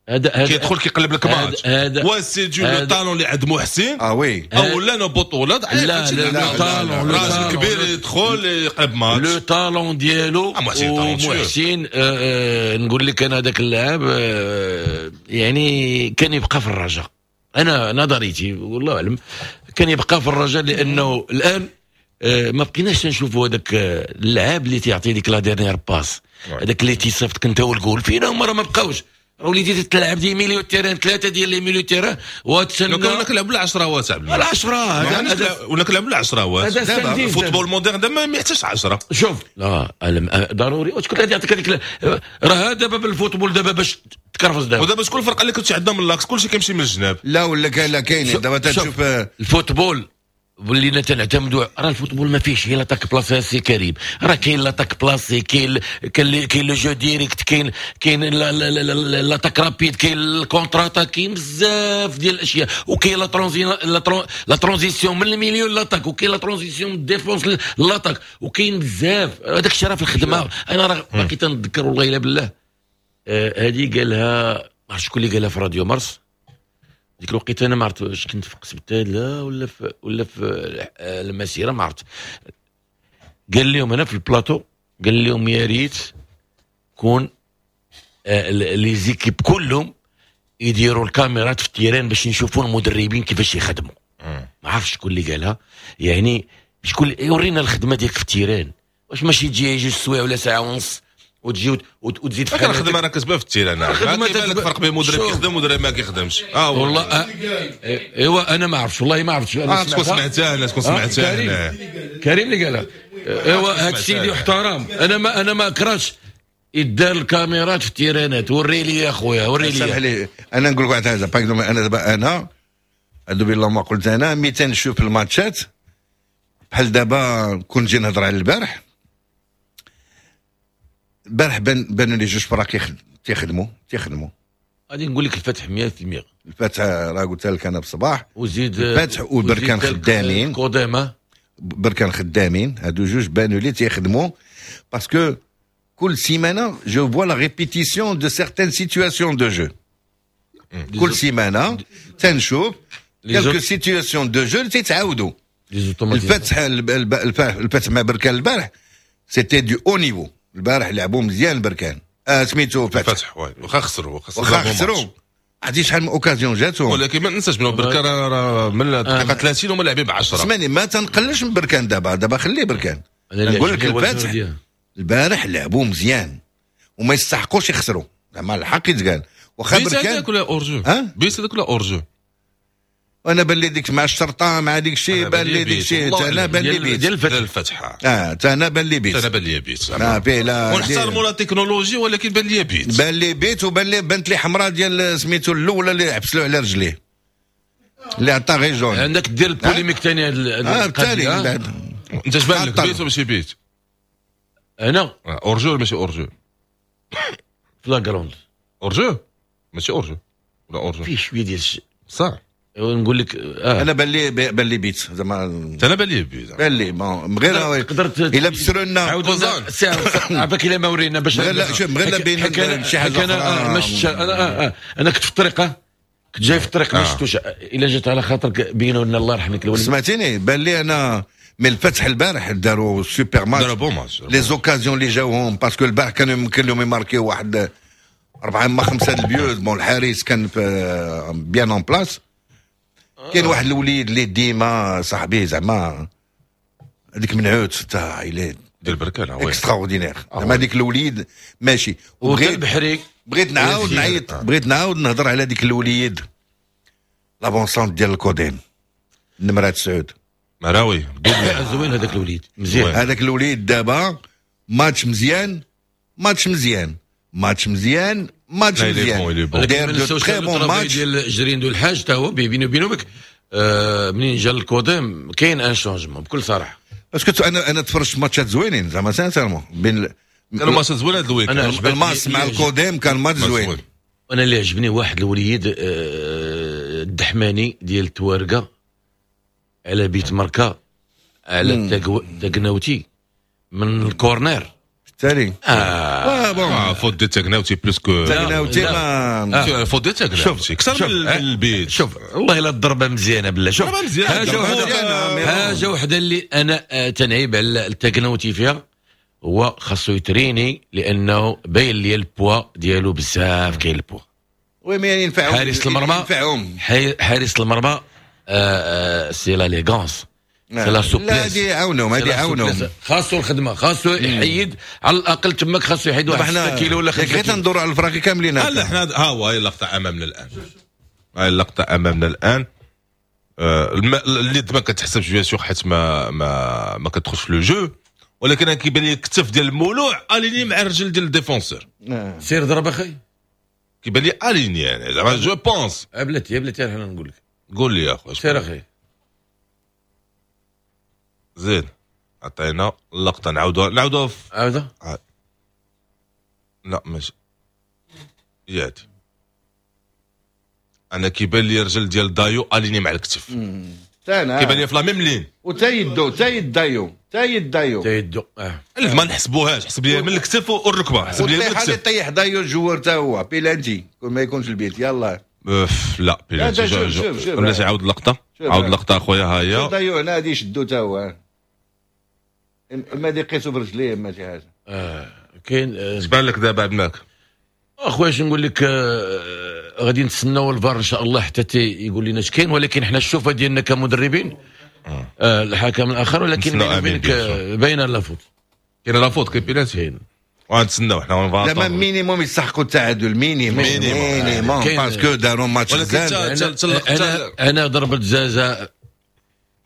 هذا كيدخل كيقلب لك ماتش. وا c'est du le talent اللي عند محسن. اه oui اولا بطوله. لا لا talent راجل كبير يدخل يقلب match le talent ديالو. ومحسن نقول لك انا هذاك اللاعب يعني كان يبقى في الرجاء، انا نظريتي والله اعلم كان يبقى في الرجاء، لانه الان آه، ما بقيناش نشوفوا هذاك آه، اللعاب اللي تيعطي ديك la dernière passe، هذاك اللي تيصيفطك انت والجول. فينا هما راه ما بقاوش، راه وليتي تلعب des milieux terrain، ثلاثة ديال les milieux terrain وتسنى. لو كنا كنلعبوا العشرة عبد العشرة. هذا ولا كنلعبوا العشرة. هذا ال football moderne دابا ما يحتاجش عشرة. شوف، لا، ضروري وشكون غادي يعطيك هذيك؟ راه دابا بال football دابا باش تكرفز دابا. ودابا شكون الفرقة اللي كنت عندها من l'axe؟ كلشي كيمشي من الجناب. لا، ولا كاين، لا كاين دابا تشوف. ال football ولينا تنعتمدوا، راه ال football ما فيهش غير l'attaque placée سي كريم، راه كاين l'attaque placée، كاين كاين le jeu direct، كاين كاين l'attaque rapide، كاين ال contre-attaque، كاين بزاف ديال الاشياء، وكاين la la transition من ال milieu l'attaque، وكاين la transition من ال défense l'attaque، وكاين بزاف هذاك الشيء راه في الخدمه. انا راه باقي تنتذكر، والله الا بالله، هذه قالها، ما عرفتش شكون اللي قالها في راديو مارس ديك الوقيته، انا ما عرفت واش كنت في قسم لا ولا في ولا في المسيره، ما عرفت. قال لهم هنا في البلاطو، قال لهم يا ريت كون آه، les équipes كلهم يديروا الكاميرات في ال terrain باش نشوفوا المدربين كيفاش يخدموا. ما عرفتش شكون اللي قالها، يعني شكون يورينا الخدمة ديالك في ال terrain، واش ماشي تجي جوج سوايع ولا ساعة ونص وتجي وتزيد في الخدمه. راه كتبان في ال terrain، الخدمة كيبان لك فرق بين مدرب كيخدم ومدرب ما كيخدمش. اه والله آه ايوا انا ما عرفتش، والله ما عرفتش. انا تكون سمعتها، انا تكون سمعتها. كريم، كريم اللي قالها. ايوا هذا السيد يحترم. انا ما انا ما كرهتش يدار الكاميرات في التيرانات. وري لي يا خويا، وري لي. سامح لي، انا نقول لك واحد الحاجه، par انا دابا انا هادو بالله ما قلت، انا ملي تنشوف الماتشات بحال دابا، كون نجي نهضر على البارح، البارح بان بانوا لي جوج فراق تيخدموا تيخدموا. غادي نقول لك الفتح مية في المية. الفتح راه قلت لك انا بصباح. وزيد الفتح وبركان خدامين. كوديما. بركان خدامين، هادو جوج بانوا لي تيخدموا، parce que كل سيمانه je vois la répétition de certaines situations de jeu، كل سيمانه تنشوف quelques situations de jeu اللي تيتعاودوا. الفتح الفتح مع بركان البارح c'était du haut niveau. البارح لعبوا مزيان بركان، آه سميتو فتح. فتح oui، واخا خسروا. واخا خسروا، عرفتي شحال من occasion جاتهم. ولكن ما ننساش بلي بركان راه من الدقيقة ثلاثين هما لاعبين ب عشرة. اسمعني، ما تنقلش من بركان دابا، دابا خليه بركان. نقول لك الفتح البارح لعبوا مزيان وما يستحقوش يخسروا، زعما الحق يتقال. واخا بركان هذاك ولا hors-jeu؟ but هذاك ولا hors-jeu؟ وانا بان لي ديك مع الشرطة مع ديك الشيء، بان لي ديك الشيء، انا بان لي بيت. ديال الفتح. الفتح. اه، انا بان لي بيت. انا بان لي بيت. اه فيه لا. ونحترموا la technologie، ولكن بان لي بيت. بان لي بيت، وبان لي بانت لي حمراء ديال سميتو الاولى اللي حبس له على رجليه اللي عطا غير jaune. عندك دير ال polémique ثاني. اه، بالتالي. انت اش بان لك، بيت ولا ماشي بيت؟ انا hors-jeu ولا ماشي hors-jeu؟ flagrant. hors-jeu، ماشي hors-jeu ولا hors-jeu؟ فيه شوية ديال صح. نقول لك آه. انا بان لي بان لي بيت زعما. انا بان لي بيت. بان لي bon غير قدرت الا بسروا لنا. عافاك الا ما ورينا باش غير لا، شوف، غير بين شي حاجه. انا مش انا آه آه. انا كنت في الطريق، كنت جاي في الطريق، ما شفتوش. الا جات على خاطرك بينوا لنا، الله يرحم لك الوالدين. سمعتيني؟ بان لي انا mais الفتح البارح داروا super match. داروا bon match. les occasions اللي جاوهم، parce que البارح كانوا يمكن لهم يماركيو واحد أربعة ما خمسة ال buts. bon، الحارس كان bien en place. كاين واحد الوليد اللي ديما صاحبي زعما هذيك منعوت تاع الى ديال بركان. extraordinaire زعما هذيك الوليد ماشي. وبغيت البحري. بغيت نعاود نعيط، بغيت نعاود نهضر على ديك الوليد l'avant-centre ديال الكوديم، نمرة تسعود. مراوي. زوين هذاك الوليد، مزيان. هذاك الوليد دابا ماتش مزيان، ماتش مزيان، ماتش مزيان، ماتش مزيان، داير de très bons matchs. ديال جريندو الحاج تا هو بيني وبينك آه منين جا الكوديم كاين un changement بكل صراحه. parce que انا انا تفرجت ماتشات زوينين زعما sincèrement بين كانوا ماتشات زوين هذا ال week. الماس مع الكوديم كان ماتش زوين. انا اللي عجبني واحد الوليد آه الدحماني ديال التوارقه على بيت مركا على التاكناوتي من ال corner. التالي. اه, آه bon. آه faute ديال تاكناوتي plus que تاكناوتي ما faute ديال تاكناوتي اكثر من البيت. شوف، والله الا الضربة مزيانه بالله. شوف، حاجة وحده، حاجة وحده اللي انا آه، تنعيب على التاكناوتي فيها، هو خاصو يتريني لانه باين لي البوا ديالو بزاف، كاين ال poids. oui mais ينفعهم. حارس المرمى. ينفعهم. حارس المرمى آه، آه، c'est l'élégance. c'est la souplesse. لا هذه عاونهم، هذه عاونهم. خاصو الخدمه، خاصو يحيد على الاقل تماك، خاصو يحيد واحد ستة كيلو ولا خمسة. غير تندوروا على الفراقي كاملين. لا حنا ها هو، هاي اللقطة امامنا الان، هاي اللقطة امامنا الان. آه اليد ما كتحسبش bien sûr حيت ما ما ما كتدخلش في le jeu، ولكن انا كيبان لي الكتف ديال المولوع aligné مع الرجل ديال ال défenseur. سير ضرب اخي. كيبان لي aligné يعني زعما je pense. بلاتي بلاتي انا نقول لك. قول لي يا اخويا. سير اخي. زين عطينا اللقطه، نعاودوها نعاودوها في عاودها. لا ماشي يادي، انا كيبان لي الرجل ديال دايو aligné مع الكتف. كيبان لي في la même ligne. وتا يدو، تا يد دايو، تا يد دايو، تا يدو. اه ما نحسبوهاش، حسب لي من الكتف والركبه، حسب لي من الكتف. طيح دايو ال joueur تا هو بيلانتي كون ما يكونش البيت يلا. لا بيلانتي. شوف شوف شوف بلاتي، عاود اللقطه، عاود اللقطة اخويا. ها هي دايو هنا غادي يشدو تا هو، اما دي يقيسو برجليه اما شي حاجة. اه كاين. اش بان لك دابا عبد اخويا؟ اش نقول لك، آه غادي نتسناو الفار ان شاء الله حتى يقول لنا اش كاين، ولكن حنا الشوفه ديالنا كمدربين آه الحكم الاخر، ولكن بيني وبينك باينة la faute. كاين la faute، كاين بيلانتي، كاين. غنتسناو حنا. زعما minimum يستحقوا التعادل، minimum minimum، parce que داروا ماتش. مزيان. انا انا ضربه جزاء.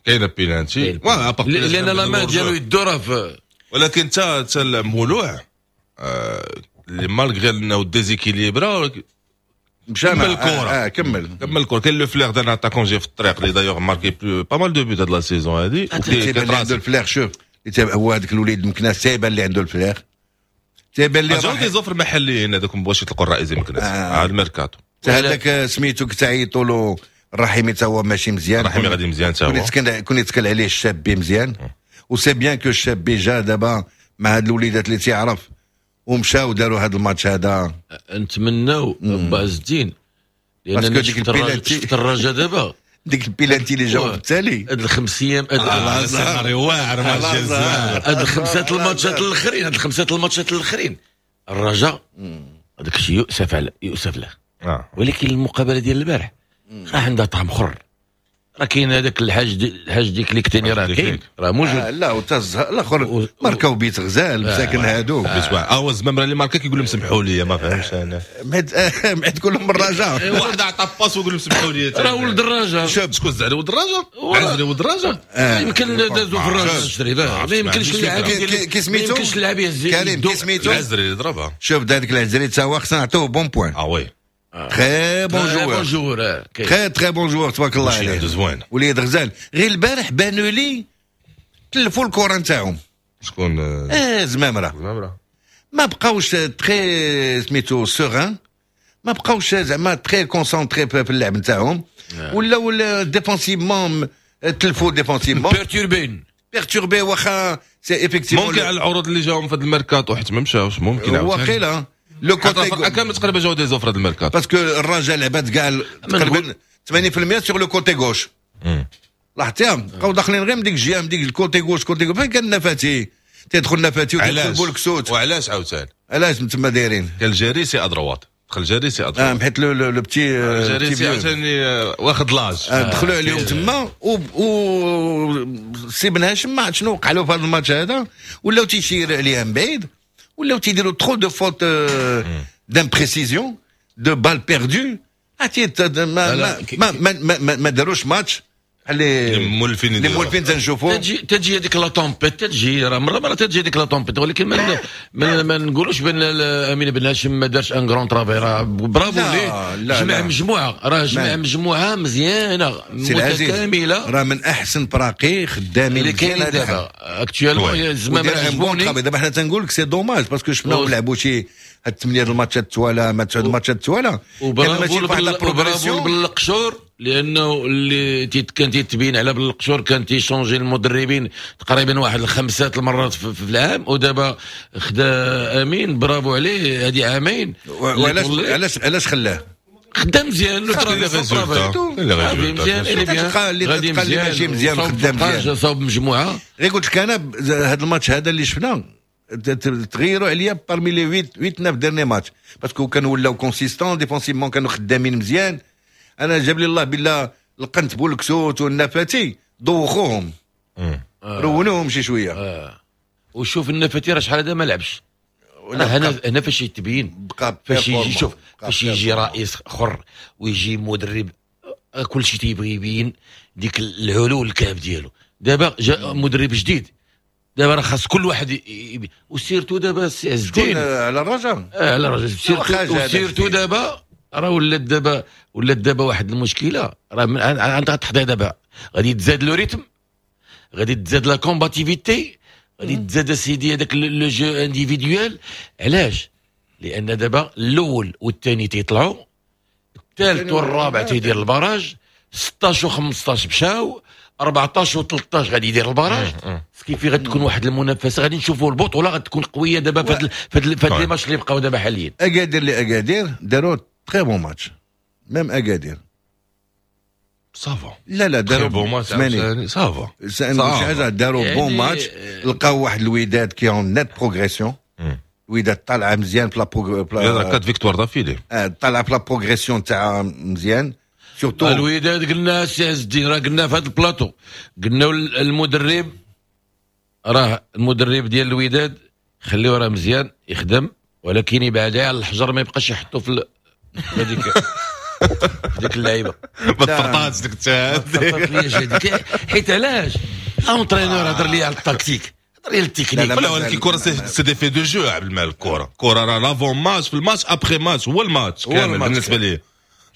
كاينه بيلانتي. لان la main ديالو يدو راه. ولكن حتى حتى المولوع اللي malgré انه déséquilibré مشى كمل الكره. آه كمل. كمل الكره. كاين le flair d'un attaquant جاي في الطريق اللي d'ailleurs marqué plus pas mal de buts هاد la saison هادي. تيبان اللي عنده ال flair، شوف هو هذاك الوليد مكناس تيبان اللي عنده ال flair، تيبان اللي جاو des offres محليين هذوك ما بغاوش يطلقوا الرئيس مكناس آه. على الميركاتو. هذاك سميتو كتعيطوا له الرحيمي تا هو ماشي مزيان. الرحيمي غادي مزيان تا هو. كون يتكل عليه الشابي مزيان، و c'est bien que الشابي جا دابا مع هاد الوليدات اللي تيعرف ومشاو داروا هذا الماتش هذا. نتمناو باز الدين لان شفت الرجاء دابا ديك البيلانتي اللي جاو بالتالي هاد الخمس ايام، هاد السيناريو واعر ماتش. هاد الخمسة الماتشات الاخرين، هاد الخمسة الماتشات الاخرين الرجاء هذاك الشيء يؤسف على يؤسف له، ولكن المقابلة ديال البارح راه عندها طعم اخر. راه كاين هذاك الحاج دي الحاج ديك اللي كتاني راه كاين، راه موجود. آه لا وتا الاخر ماركاو بيت غزال مساكن هادو. بيت واعر. اه الزمامره اللي ماركا كيقول لهم سمحوا لي، ما فهمش انا. معد كلهم الرجاء. واحد عطى passe ويقول لهم سمحوا لي. راه ولد الرجاء. شوف شكون زعل ولد الرجاء؟ عزري ولد الرجاء. يمكن دازو في الرجاء الشريف، ما يمكنش اللاعب كي سميتو ما يمكنش اللاعب يهز كريم كي سميتو العزري اللي ضربها. شوف هذاك العزري تا هو خصنا نعطوه bon point. اه oui très bon joueur، très très bon joueur تبارك الله عليه. زوين وليد غزال. غير البارح بانوا لي تلفوا الكره نتاعهم. شكون؟ اه زمامره. زمامرة ما بقاوش très سميتو sereins، ما بقاوش زعما très concentrés في اللعب نتاعهم، ولاو défensivement تلفوا défensivement. perturbés. perturbés واخا c'est effectivement. ممكن على العروض اللي جاهم في هذا الميركاتو حيت ما مشاوش ممكن. واقيلا le côté كامل تقريبا جاو des offres هذا الميركاتو. parce que الرجاء لعبات كاع تقريبا ثمانين في المية sur le côté gauche، لاحظتيها؟ بقاو داخلين غير من ديك الجهه، من ديك ال côté gauche côté gauche. فين كان نفاتي تيدخل نفاتي وتدخل بولكسوت. وعلاش عاوتاني؟ علاش تما دايرين؟ كان الجريسي à droite، دخل الجريسي à droite. اه حيت le le petit الجريسي عاوتاني واخد l'âge. دخلوا عليهم تما و سي بن هاشم ما عرفت شنو وقع له في هذا الماتش هذا، ولاو تيشير عليها من بعيد، ولاو تيديروا trop de fautes d'imprécision، de balles perdues. عرفتي ما ما ما ما, ما, ما داروش ماتش اللي مولفين. اللي مولفين تنشوفوا. تجي تجي هذيك la tempête، تجي راه مرة مرة تجي هذيك la tempête، ولكن ما ما, ما نقولوش بان امين بن هاشم ما دارش un grand travail. راه برافو ليه، جمع مجموعه، راه جمع مجموعة مزيانه متكامله. راه من احسن فراقي خدامين اللي كاينين دابا actuellement. زعما عجبوني دابا. حنا تنقول لك c'est dommage parce que شفناهم لعبوا شي هاد ثمانية الماتشات التوالا ما تسعود الماتشات التوالا. وبرافو بالقشور، لانه اللي كان تيتبين على بالقشور كان تي changer المدربين تقريبا واحد الخمسة المرات في العام، ودابا خدا امين، برافو عليه، هذه عامين. وعلاش علاش علاش خلاه؟ خدام مزيان. مزيان. اللي مزيان ماشي مزيان خدام مزيان. صوب مجموعه. غير قلت لك انا هذا الماتش هذا اللي شفنا تغيروا عليا parmi les huit huit neuf derniers matchs، parce que كانوا ولاو consistants défensivement، كانوا خدامين مزيان. انا جاب لي الله بالله القنت بولكسوت والنفاتي دوخوهم. رونوهم شي شوية. آه. وشوف النفاتي راه شحال هذا ما لعبش، هنا هنا فاش يتبين بقى فاش يجي، شوف فاش يجي رئيس اخر ويجي مدرب كل شيء تيبغي يبين ديك العلو الكعب ديالو. دابا جاء مدرب جديد، دابا راه خاص كل واحد يبين، و surtout دابا السي عز الدين على الرجاء، آه على الرجاء surtout surtout دابا راه ولات دابا ولات دابا واحد المشكلة، راه انت غتحضر دابا غادي تزاد le rythme، غادي تزاد la combativité، غادي تزاد سيدي هذاك le jeu individuel. علاش؟ لان دابا الاول والثاني تيطلعوا، الثالث والرابع تيدير ال barrage، ستاش وخمسطاش مشاو، أربعطاش وثلاثطاش غادي يدير ال barrage. ce qui fait غتكون واحد المنافسة، غادي نشوفوا البطولة غتكون قوية دابا في هاد في هاد les matchs اللي بقاو دابا حاليا. اكادير لاكادير داروا très bon match، même اكادير ça va. لا لا داروا bon match، ça va. شي حاجة، داروا bon match، لقاو واحد الوداد qui est en nette progression، الوداد طالعه مزيان في la quatre victoires d'affilée، طالعه في la progression تاعها مزيان. surtout الوداد قلنا السي عز الدين، راه قلنا في هذا البلاطو، قلنا المدرب راه المدرب ديال الوداد خليه راه مزيان يخدم، ولكن يبعد على الحجر، ما يبقاش يحطو في هذيك ديك اللعيبة. ما تفرطاتش ديك التاع، حيت علاش entraîneur هضر لي على التكتيك، هضر لي على التكنيك. لا ولكن الكره c'est des faits de jeu عبد المالك، الكره الكره راه l'avant-match، في الماتش، après-match، هو الماتش كامل بالنسبة لي.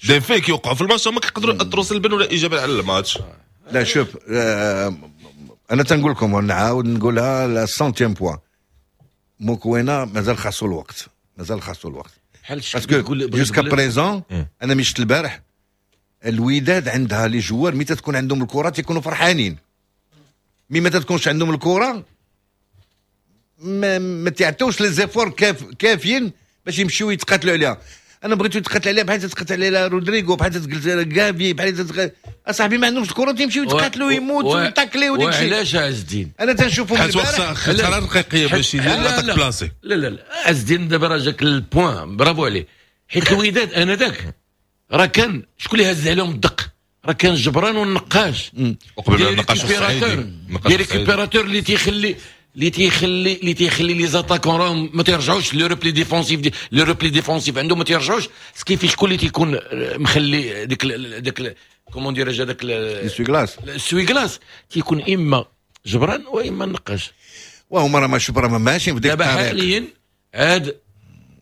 des faits كيوقعوا في الماتش هما كيقدروا ياثروا سلبا ولا ايجابا على الماتش. لا شوف، آه انا تنقول لكم ونعاود نقولها la centième fois، موكوينا مازال خاصو الوقت، مازال خاصو الوقت، parce que jusqu'à présent انا مشيت البارح الوداد عندها les joueurs متى تكون عندهم الكره تيكونوا فرحانين، mais ما تكونش عندهم الكره ما, ما تعطوش les efforts كاف كافيين باش يمشيو يتقاتلوا عليها. انا بغيتو يتقاتل عليها بحال تتقاتل عليها رودريغو، بحال تتقاتل على كافي، بحال تتقاتل اصاحبي ما عندهمش الكره تيمشيو يتقاتلوا ويموتوا ويتاكليو وديك الشيء. وعلاش عز الدين؟ انا تنشوفهم حيت خسارة دقيقيه باش يدير l'attaque placée. لا لا لا عز الدين دابا راه جاك ال point، bravo عليه، حيت الوداد انا ذاك راه كان شكون اللي هز عليهم الدق؟ راه كان جبران والنقاش، وقبل النقاش السعيدي des récupérateurs اللي تيخلي اللي تيخلي اللي تيخلي les attaquants راهم ما تيرجعوش le repli défensif، دي le repli défensif عندهم ما تيرجعوش. ce qui fait شكون اللي تيكون مخلي ديك ديك comment dirais-je هذاك l'essuie-glace؟ l'essuie-glace تيكون اما جبران واما النقاش. وهما راه ما شوف راه ماشيين في ديك دابا حاليا عاد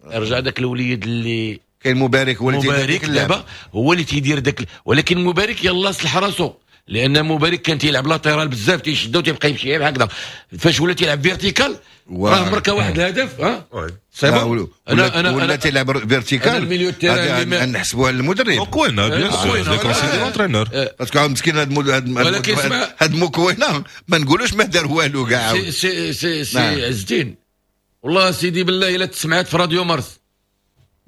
رجع داك الوليد اللي كاين مبارك، هو اللي مبارك دابا هو اللي تيدير داك، ولكن مبارك يلا صلح راسو، لان مبارك كان تيلعب latéral بزاف، تيشدو تيبقى يمشي هكذا، فاش ولا تيلعب vertical راه مركا واحد الهدف. ها c'est bon، انا انا ولا تيلعب vertical نحسبوها للمدرب موكوينا، bien sûr les conseils de l'entraîneur، parce que مسكين هاد هاد موكوينا ما نقولوش ما دار والو كاع. سي سي سي, سي عز الدين والله سيدي بالله الا تسمعت في راديو مارس،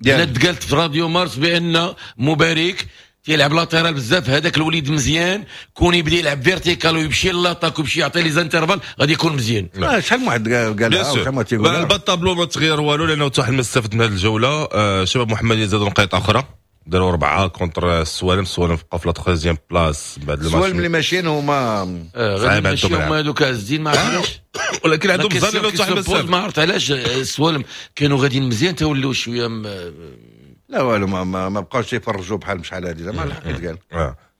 الا تقالت في راديو مارس بان مبارك تيلعب latéral بزاف، هذاك الوليد مزيان، كون يبدا يلعب vertical ويمشي l'attaque ويمشي يعطي les intervalles غادي يكون مزيان. آه شحال من واحد قالها شحال ما تيقول. ال bas de tableau ما تغير والو لانه حتى واحد ما استفد من هذه الجولة. آه شباب محمديه زادوا نقيطه اخرى، داروا اربعة contre السوالم، السوالم بقى في la troisième place بعد الماتش. السوالم اللي ماشيين هما غير ماشيين هما هذوك عز ما عرفتش، ولكن عندهم بزاف اللي واحد ما عرفت علاش السوالم كانوا غاديين مزيان تولوا شوية م... لا والو ما ما, ما بقاوش يفرجوا بحال شحال هذه زعما الحق يتقال.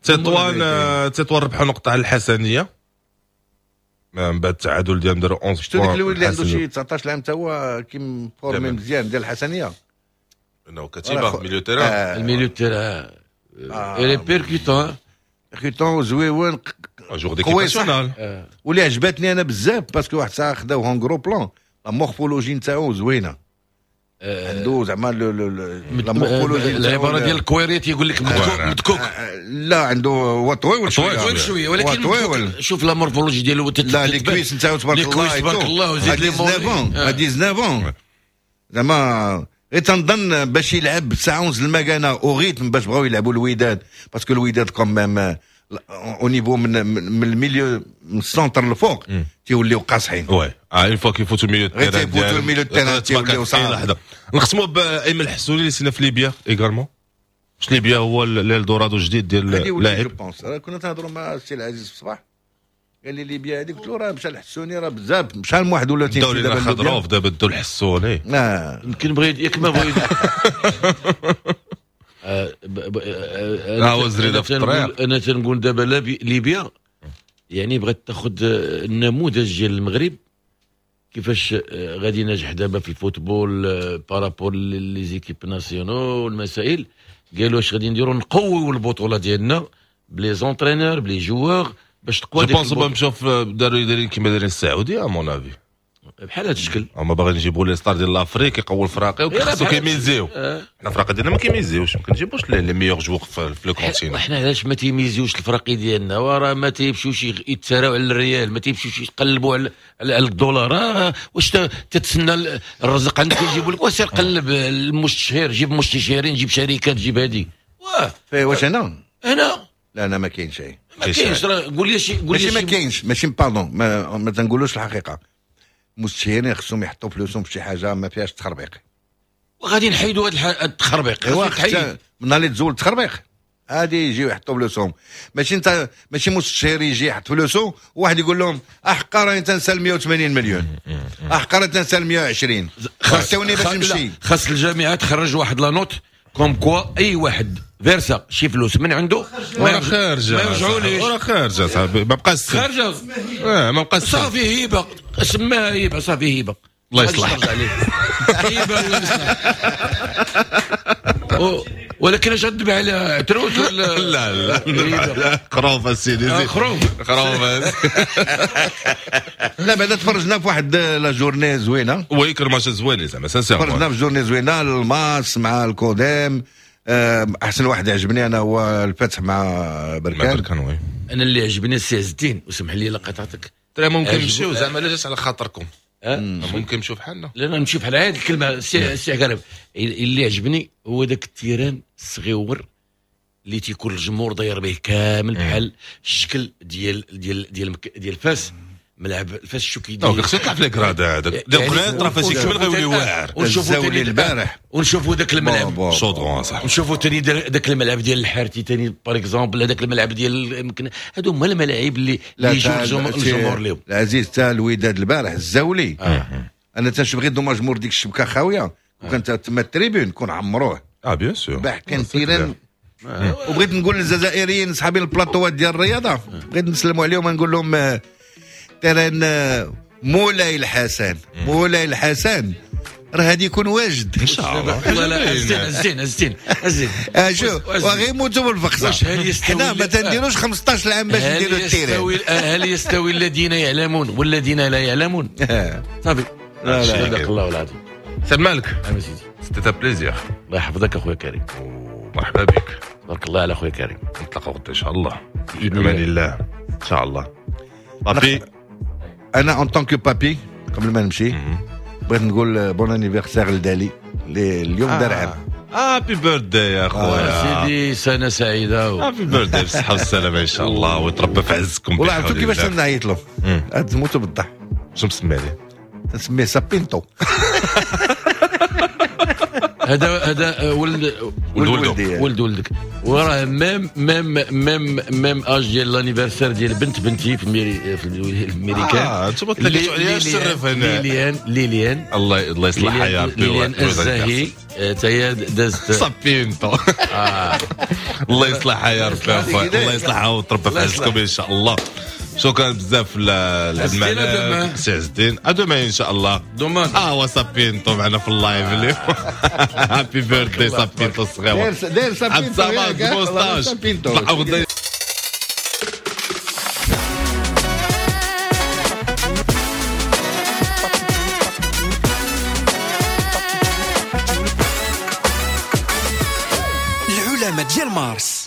تطوان تطوان ربحوا نقطة على الحسنيه من بعد التعادل ديالهم، داروا أحد عشر. شفتوا ديك الولد اللي عنده شي تسعطاش عام تا هو كي formé مزيان ديال الحسنيه، انه كتيبة milieu terrain، ال milieu terrain il est percutant percutant زويون joueur d'équipe nationale. واللي عجبتني انا بزاف parce que واحد الساعة خداوه en gros plan، la morphologie نتاعو زوينة، عنده زعما la morphologie العبارة ديال الكويريت يقول لك مدكوك، لا عنده هو طويل شوية طويل شوية، ولكن شوف la morphologie ديالو، لا les cuisses نتاعو تبارك الله تبارك الله، وزيد les dix-neuf زعما غير تنظن باش يلعب ساعة ونص المكانة au rythme باش بغاو يلعبوا الوداد، parce que الوداد quand même au niveau من من ال milieu من ال centre للفوق تيوليو قاصحين. oui une fois كيفوتوا milieu غير تيفوتوا ال milieu terrain تيوليو صعاب. نختموا بايمن الحسوني اللي سينا في ليبيا également. واش ليبيا هو الدورادو الجديد ديال اللاعب؟ كنا تنهضروا مع السي العزيز في الصباح، قال لي ليبيا هذيك، قلت له راه مشى الحسوني راه بزاف، شحال من واحد ولا تيمشي دابا خضروف دابا دو الحسوني. اه يمكن بغيت ياك ما بغيت اه وزريده في الطريق. انا تنقول دابا ليبيا يعني بغات تاخذ النموذج ديال المغرب كيفاش غادي ناجح دابا في ال football par rapport les équipes nationales والمسائل. قالوا واش غادي نديروا؟ نقويو البطولة ديالنا ب les entraîneurs ب les joueurs باش تقوى. je pense مشاو داروا دايرين كيما دايرين السعودية à mon avis، بحال هذا الشكل. هما باغيين يجيبوا les stars ديال l'Afrique يقووا الفراقي وخصو كيميزيو. حنا الفراقي ديالنا ما كيميزيوش، ما كنجيبوش les meilleurs joueurs في le continent. حنا علاش ما تيميزيوش الفراقي ديالنا؟ وراه ما تيمشيوش يتساراو على الريال، ما تيمشيوش يقلبوا على على الدولار. واش تتسنى الرزق عندك يجيبوا لك؟ وسير قلب المستشهر، جيب مستشهرين، جيب شركات، جيب هادي. واه واش هنا؟ هنا لا لا ما كاين شيء، ما كاينش. قول لي شي، قول لي ماشي ما كاينش، ماشي pardon، ما, ما تنقولوش الحقيقة. المستشهرين خصهم يحطوا فلوسهم في شي حاجة ما فيهاش تخربيق، وغادي نحيدوا هذا التخربيق. ايوا من اللي تزول التخربيق هادي يجيو يحطوا فلوسهم. ماشي انت ماشي مستشهر يجي يحط فلوسه وواحد يقول لهم احقا راني تنسال مية وثمانين مليون، احقا راني تنسال مية وعشرين، خاصوني باش نمشي. خاص الجامعة تخرج واحد la note comme quoi اي واحد versa شي فلوس من عنده ما خارجه، ما يرجعوليش. وراه خارجه صاحبي، ما بقاش خارجه. اه ما بقاش صافي، هبه سماها هبه، صافي هبه. الله يصلح هبه الله يصلح. ولكن اش غتذبح على عتروس ولا؟ لا لا خروف السيدي، خروف خروف. لا بعدا تفرجنا في واحد la journée زوينة. oui كان ماتش زوين زعما sincèrement. تفرجنا في journée زوينة، الماس مع الكوديم. احسن واحد عجبني انا هو الفتح مع بركان. بركان oui. انا اللي عجبني السي عز الدين، وسمح لي الا قطعتك. ترى ممكن نمشيو زعما لا جات على خاطركم، ممكن نمشيو بحالنا. لا نمشيو بحال هذه الكلمة السي السي عقرب. اللي عجبني هو ذاك ال terrain الصغيور اللي تيكون الجمهور داير به كامل، بحال الشكل ديال ديال ديال ديال فاس، ملعب الفاس شو كيدير. donc خصو يطلع في les grades هذاك ديال القنيطره فاش يكمل غيولي واعر. ونشوفوا ثاني البارح، ونشوفوا ذاك الملعب شودرون صح، ونشوفوا ثاني ذاك الملعب ديال الحارتي ثاني par exemple، هذاك الملعب ديال يمكن هادو هما الملاعب اللي اللي يجيو الجمهور لهم. العزيز تا الوداد البارح الزاولي، انا تنشوف غير dommage مور ديك الشبكة خاوية، وكانت تما ال tribune كون عمروه. اه bien sûr البارح كان terrain. وبغيت نقول للجزائريين صحابي البلاطوات ديال الرياضة، بغيت نسلموا عليهم ونقول لهم terrain مولاي الحسن، مولاي الحسن راه غادي يكون واجد ان شاء الله. لا لا الزين الزين الزين الزين شوف وغير يموتوا بالفقصه. حنا ما تنديروش خمسطاش عام باش نديروا ال terrain. هل يستوي الذين يعلمون والذين لا يعلمون؟ صافي لا لا صدق الله العظيم. سلام مالك انا سيدي، c'était un plaisir. الله يحفظك اخويا كريم، مرحبا بك. تبارك الله على اخويا كريم. نتلاقاو غدا ان شاء الله باذن الله ان شاء الله. بابي انا en tant que papi قبل ما نمشي بغيت نقول bon anniversaire لدالي اللي اليوم دار عام. happy birthday يا خويا سيدي، سنة سعيدة. happy birthday بالصحة والسلامة ان شاء الله، ويتربى في عزكم. والله عرفتوا كيفاش نعيط له؟ تموتوا بالضحك. شنو مسمي عليه؟ تنسميه سابينتو. هذا هذا ولد ولد ولده ولد ولدك، وراه même même même même âge ديال l'anniversaire ديال بنت بنتي في الميري في الميريكان. اه انتم تلاقيتوا عليا الشرف هنا. ليليان ليليان الله الله يصلحها يا ربي. ليليان الزاهي حتى هي دازت صابينتو. الله يصلحها يا ربي، الله يصلحها وتربى في عزكم ان شاء الله. شكرا بزاف لعبد الملك سي عز الدين. à demain ان شاء الله. demain اه وسابينتو معنا في ال live اليوم. happy birthday سابينتو الصغير. داير سابينتو سابينتو. العلماء ديال مارس.